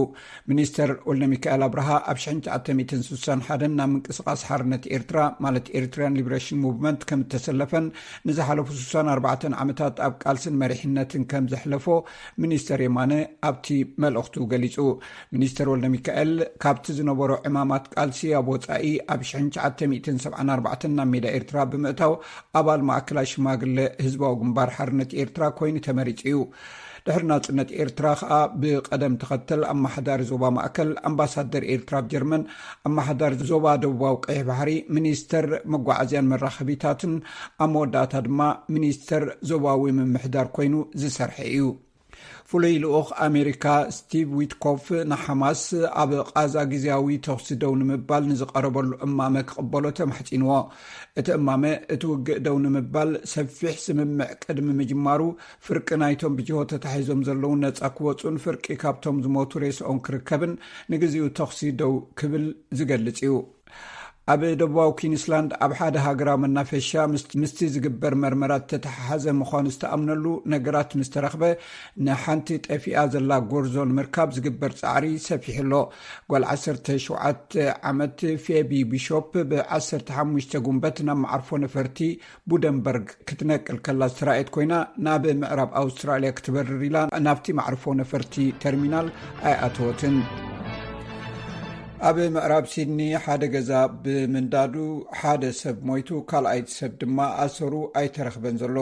ሚኒስተር ወልደ ሚካኤል ኣብርሃ ኣብ ሽሕን ትሽዓተ ሚእትን ስሳን ሓደን ናብ ምንቅስቓስ ሓርነት ኤርትራ ማለት ኤርትራን ሊብሬሽን ሙቭመንት ከም እተሰለፈን ንዝሓለፉ ስሳን ኣርባዕተን ዓመታት ኣብ ቃልስን መሪሕነትን ከም ዘሕለፎ ሚኒስተር የማነ ኣብቲ መልእኽቱ ገሊጹ። ሚኒስተር ወልደ ሚካኤል ካብቲ ዝነበሮ ዕማማት ቃልሲ ኣብ ወጻኢ ኣብ ሽሕን ትሽዓተ ሚእትን ሰብዓን ኣርባዕተን ናብ ሜዳ ኤርትራ ብምእታው ኣባል ማእከላይ ሽማግለ ህዝባዊ ግንባር ሓርነት ኤርትራ ኮይኑ ተመሪጹ እዩ። ድሕሪ ናጽነት ኤርትራ ከኣ ብቐደም ተኸተል ኣመሓዳሪ ዞባ ማእከል፣ ኣምባሳደር ኤርትራ ኣብ ጀርመን፣ ኣመሓዳሪ ዞባ ደቡባዊ ቀይሕ ባሕሪ፣ ሚኒስተር መጓዓዝያን መራኸቢታትን ኣብ መወዳእታ ድማ ሚኒስተር ዞባዊ ምምሕዳር ኮይኑ ዝሰርሐ እዩ። ፍሉይ ልኡኽ ኣሜሪካ ስቲቭ ዊትኮፍ ንሓማስ ኣብ ቓዛ ግዜያዊ ተኹሲ ደው ንምባል ንዝቐረበሉ እማመ ክቕበሎ ተማሕጺንዎ። እቲ እማመ እቲ ውግእ ደው ንምባል ሰፊሕ ስምምዕ ቅድሚ ምጅማሩ ፍርቂ ናይቶም ብጅሆ ተታሒዞም ዘለዉ ነጻ ክወጹን ፍርቂ ካብቶም ዝሞቱ ሬስኦም ክርከብን ንግዚኡ ተኹሲ ደው ክብል ዝገልጽ እዩ። ኣብ ደቡባዊ ኩንስላንድ ኣብ ሓደ ሃገራዊ መናፈሻ ምስ- ምስቲ ዝግበር መርመራት ተተሓሓዘ ምዃኑ ዝተኣምነሉ ነገራት ምስ ተረኽበ፣ ንሓንቲ ጠፊኣ ዘላ ጎርዞ ንምርካብ ዝግበር ጻዕሪ ሰፊሑ ኣሎ። ጓል ዓሰርተ ሸውዓተ ዓመት ፌቢ ቢሾፕ ብ ዓሰርተ ሓሙሽተ ጉንበት ናብ መዓርፎ ነፈርቲ ቡደንበርግ ክትነቅል ከላ ዝተራእየት ኮይና፣ ናብ ምዕራብ ኣውስትራልያ ክትበርር ኢላ ናብቲ መዕርፎ ነፈርቲ ተርሚናል ኣይኣተወትን። ኣብ ምዕራብ ሲድኒ ሓደ ገዛ ብምንዳዱ ሓደ ሰብ ሞይቱ፣ ካልኣይቲ ሰብ ድማ ኣሰሩ ኣይተረኽበን ዘሎ።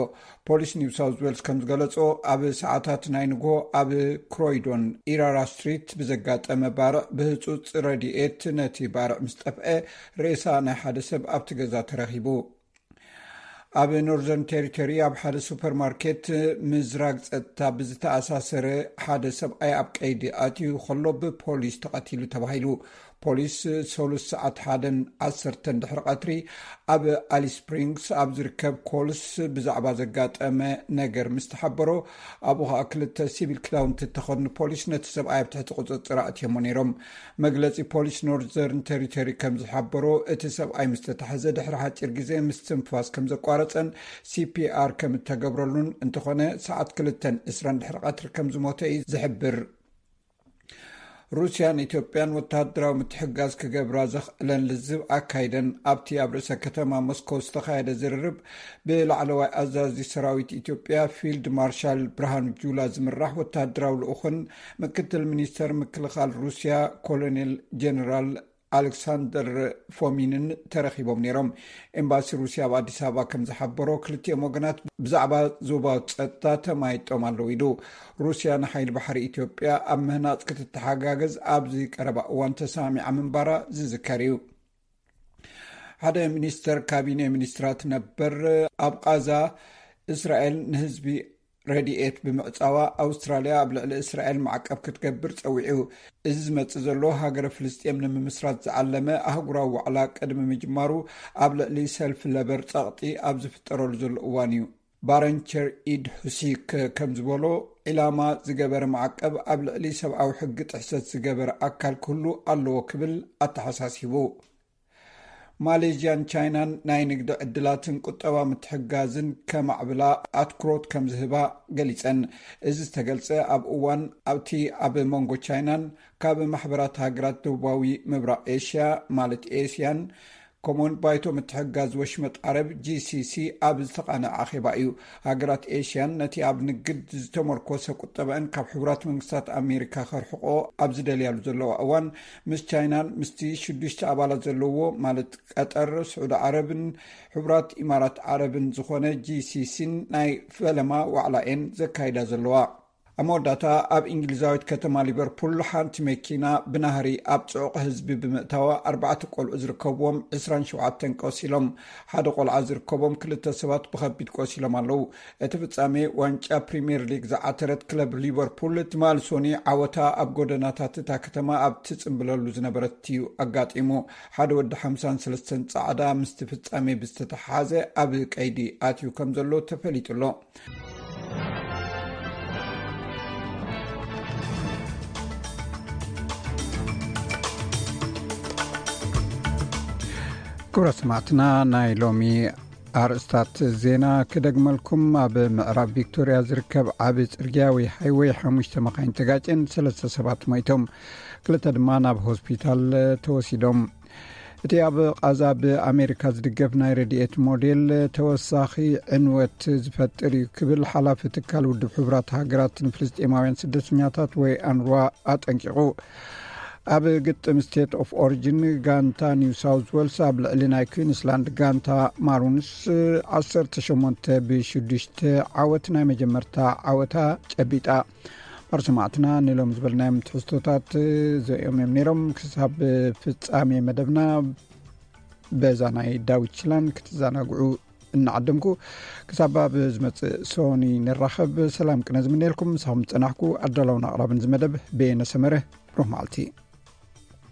ፖሊስ ኒው ሳውዝ ዌልስ ከም ዝገለጾ፣ ኣብ ሰዓታት ናይ ንግሆ ኣብ ክሮይዶን ኢራራ ስትሪት ብዘጋጠመ ባርዕ ብህጹጽ ረድኤት ነቲ ባርዕ ምስ ጠፍአ፣ ሬሳ ናይ ሓደ ሰብ ኣብቲ ገዛ ተረኺቡ። ኣብ ኖርዘርን ቴሪቶሪ ኣብ ሓደ ሱፐርማርኬት ምዝራግ ጸጥታ ብዝተኣሳሰረ ሓደ ሰብኣይ ኣብ ቀይዲ ኣትዩ ከሎ ብፖሊስ ተቐቲሉ ተባሂሉ። ፖሊስ ሰሉስ ሰዓት ሓደን ዓሰርተን ድሕሪ ቀትሪ ኣብ ኣሊስ ስፕሪንግስ ኣብ ዝርከብ ኮልስ ብዛዕባ ዘጋጠመ ነገር ምስ ተሓበሮ፣ ኣብኡ ኸኣ ክልተ ሲቪል ክዳውንቲ እተኸድኑ ፖሊስ ነቲ ሰብኣይ ኣብ ትሕቲ ቁጽጽር ኣእትዮሞ ነይሮም። መግለጺ ፖሊስ ኖርዘርን ቴሪቶሪ ከም ዝሓበሮ፣ እቲ ሰብኣይ ምስ ተታሕዘ ድሕሪ ሓጺር ግዜ ምስትንፋስ ከም ዘቋረጸን ሲፒኣር ከም እተገብረሉን፣ እንተኾነ ሰዓት ክልተን ዕስራን ድሕሪ ቀትሪ ከም ዝሞተ እዩ ዝሕብር። ሩስያን ኢትዮጵያን ወተሃደራዊ ምትሕጋዝ ክገብራ ዘኽእለን ልዝብ ኣካይደን። ኣብቲ ኣብ ርእሰ ከተማ ሞስኮ ዝተኻየደ ዝርርብ፣ ብላዕለዋይ ኣዛዚ ሰራዊት ኢትዮጵያ ፊልድ ማርሻል ብርሃኑ ጁላ ዝምራሕ ወተሃደራዊ ልኡኽን ምክትል ሚኒስተር ምክልኻል ሩስያ ኮሎኔል ጀነራል ኣሌክሳንደር ፎሚንን ተረኺቦም ነይሮም። ኤምባሲ ሩስያ ኣብ ኣዲስ ኣበባ ከም ዝሓበሮ፣ ክልቲኦም ወገናት ብዛዕባ ዞባዊ ጸጥታ ተማይጦም ኣለዉ ኢሉ። ሩስያ ንሓይሊ ባሕሪ ኢትዮጵያ ኣብ ምህናጽ ክትተሓጋገዝ ኣብዚ ቀረባ እዋን ተሰማሚዓ ምንባራ ዝዝከር እዩ። ሓደ ሚኒስተር ካቢኔ ሚኒስትራት ነበር፣ ኣብ ቓዛ እስራኤል ንህዝቢ ረድኤት ብምዕጻዋ፣ ኣውስትራልያ ኣብ ልዕሊ እስራኤል ማዕቀብ ክትገብር ጸዊዑ። እዚ ዝመጽእ ዘሎ፣ ሃገረ ፍልስጤም ንምምስራት ዝዓለመ ኣህጉራዊ ዋዕላ ቅድሚ ምጅማሩ፣ ኣብ ልዕሊ ሰልፊ ለበር ጸቕጢ ኣብ ዝፍጠረሉ ዘሎ እዋን እዩ። ባረንቸር ኢድ ሁሲክ ከም ዝበሎ፣ ዒላማ ዝገበረ ማዕቀብ ኣብ ልዕሊ ሰብኣዊ ሕጊ ጥሕሰት ዝገበረ ኣካል ክህሉ ኣለዎ ክብል ኣተሓሳሲቡ። ማሌዥያን ቻይናን ናይ ንግዲ ዕድላትን ቁጠባ ምትሕጋዝን ከማዕብላ ኣትኩሮት ከም ዝህባ ገሊጸን። እዚ ዝተገልጸ ኣብ እዋን ኣብቲ ኣብ መንጎ ቻይናን ካብ ማሕበራት ሃገራት ደቡባዊ ምብራቕ ኤሽያ፣ ማለት ኤስያን፣ ከምኡውን ባይቶ ምትሕጋዝ ወሽመጥ ዓረብ፣ ጂ ሲ ሲ፣ ኣብ ዝተቓነዐ ኣኼባ እዩ። ሃገራት ኤሽያን ነቲ ኣብ ንግድ ዝተመርኮሰ ቁጠባኣን ካብ ሕቡራት መንግስታት ኣሜሪካ ከርሕቆ ኣብ ዝደልያሉ ዘለዋ እዋን፣ ምስ ቻይናን ምስቲ ሽዱሽተ ኣባላት ዘለዎ፣ ማለት ቀጠር፣ ስዑዲ ዓረብን ሕቡራት ኢማራት ዓረብን ዝኾነ ጂ ሲ ሲን ናይ ፈለማ ዋዕላ እየን ዘካይዳ ዘለዋ። ኣብ መወዳእታ፣ ኣብ እንግሊዛዊት ከተማ ሊቨርፑል ሓንቲ መኪና ብናህሪ ኣብ ጽዑቕ ህዝቢ ብምእታዋ፣ ኣርባዕተ ቆልዑ ዝርከብዎም ዕስራን ሸውዓተን ቆሲሎም። ሓደ ቆልዓ ዝርከቦም ክልተ ሰባት ብኸቢድ ቆሲሎም ኣለዉ። እቲ ፍጻሜ ዋንጫ ፕሪምየር ሊግ ዝዓተረት ክለብ ሊቨርፑል፣ ትማሊ ሶኒ ዓወታ ኣብ ጎደናታት እታ ከተማ ኣብ ትጽምብለሉ ዝነበረት እዩ ኣጋጢሙ። ሓደ ወዲ ሓምሳን ሰለስተን ጻዕዳ ምስቲ ፍጻሜ ብዝተተሓሓዘ ኣብ ቀይዲ ኣትዩ ከም ዘሎ ተፈሊጡ ኣሎ። ክቡራት ሰማዕትና፣ ናይ ሎሚ ኣርእስታት ዜና ክደግመልኩም። ኣብ ምዕራብ ቪክቶርያ ዝርከብ ዓቢ ጽርግያ ወይ ሃይወይ፣ ሓሙሽተ መኻይን ተጋጭን ሰለስተ ሰባት ሞይቶም፣ ክልተ ድማ ናብ ሆስፒታል ተወሲዶም። እቲ ኣብ ቓዛ ብኣሜሪካ ዝድገፍ ናይ ረድኤት ሞዴል፣ ተወሳኺ ዕንወት ዝፈጥር እዩ ክብል ሓላፊ ትካል ውድብ ሕቡራት ሃገራት ንፍልስጤማውያን ስደተኛታት ወይ ኣንርዋ ኣጠንቂቑ። ኣብ ግጥም ስቴት ኦፍ ኦሪጅን፣ ጋንታ ኒው ሳውዝ ዌልስ ኣብ ልዕሊ ናይ ኩዊንስላንድ ጋንታ ማሩንስ ዓሰርተ ሸሞንተ ብሽዱሽተ ዓወት ናይ መጀመርታ ዓወታ ጨቢጣ። ማር ሰማዕትና፣ ንሎም ዝበልናዮም ትሕዝቶታት እዚኦም እዮም ነይሮም። ክሳብ ፍጻሜ መደብና፣ በዛ ናይ ዳዊት ችላን ክትዘናግዑ እናዓደምኩ፣ ክሳብ ኣብ ዝመጽእ ሶኒ ንራኸብ፣ ሰላም ቅነ ዝምነየልኩም። ምሳኹም ዝጸናሕኩ ኣዳላውን ኣቕራብን ዝመደብ በየነ ሰመረ። ብሩኽ መዓልቲ።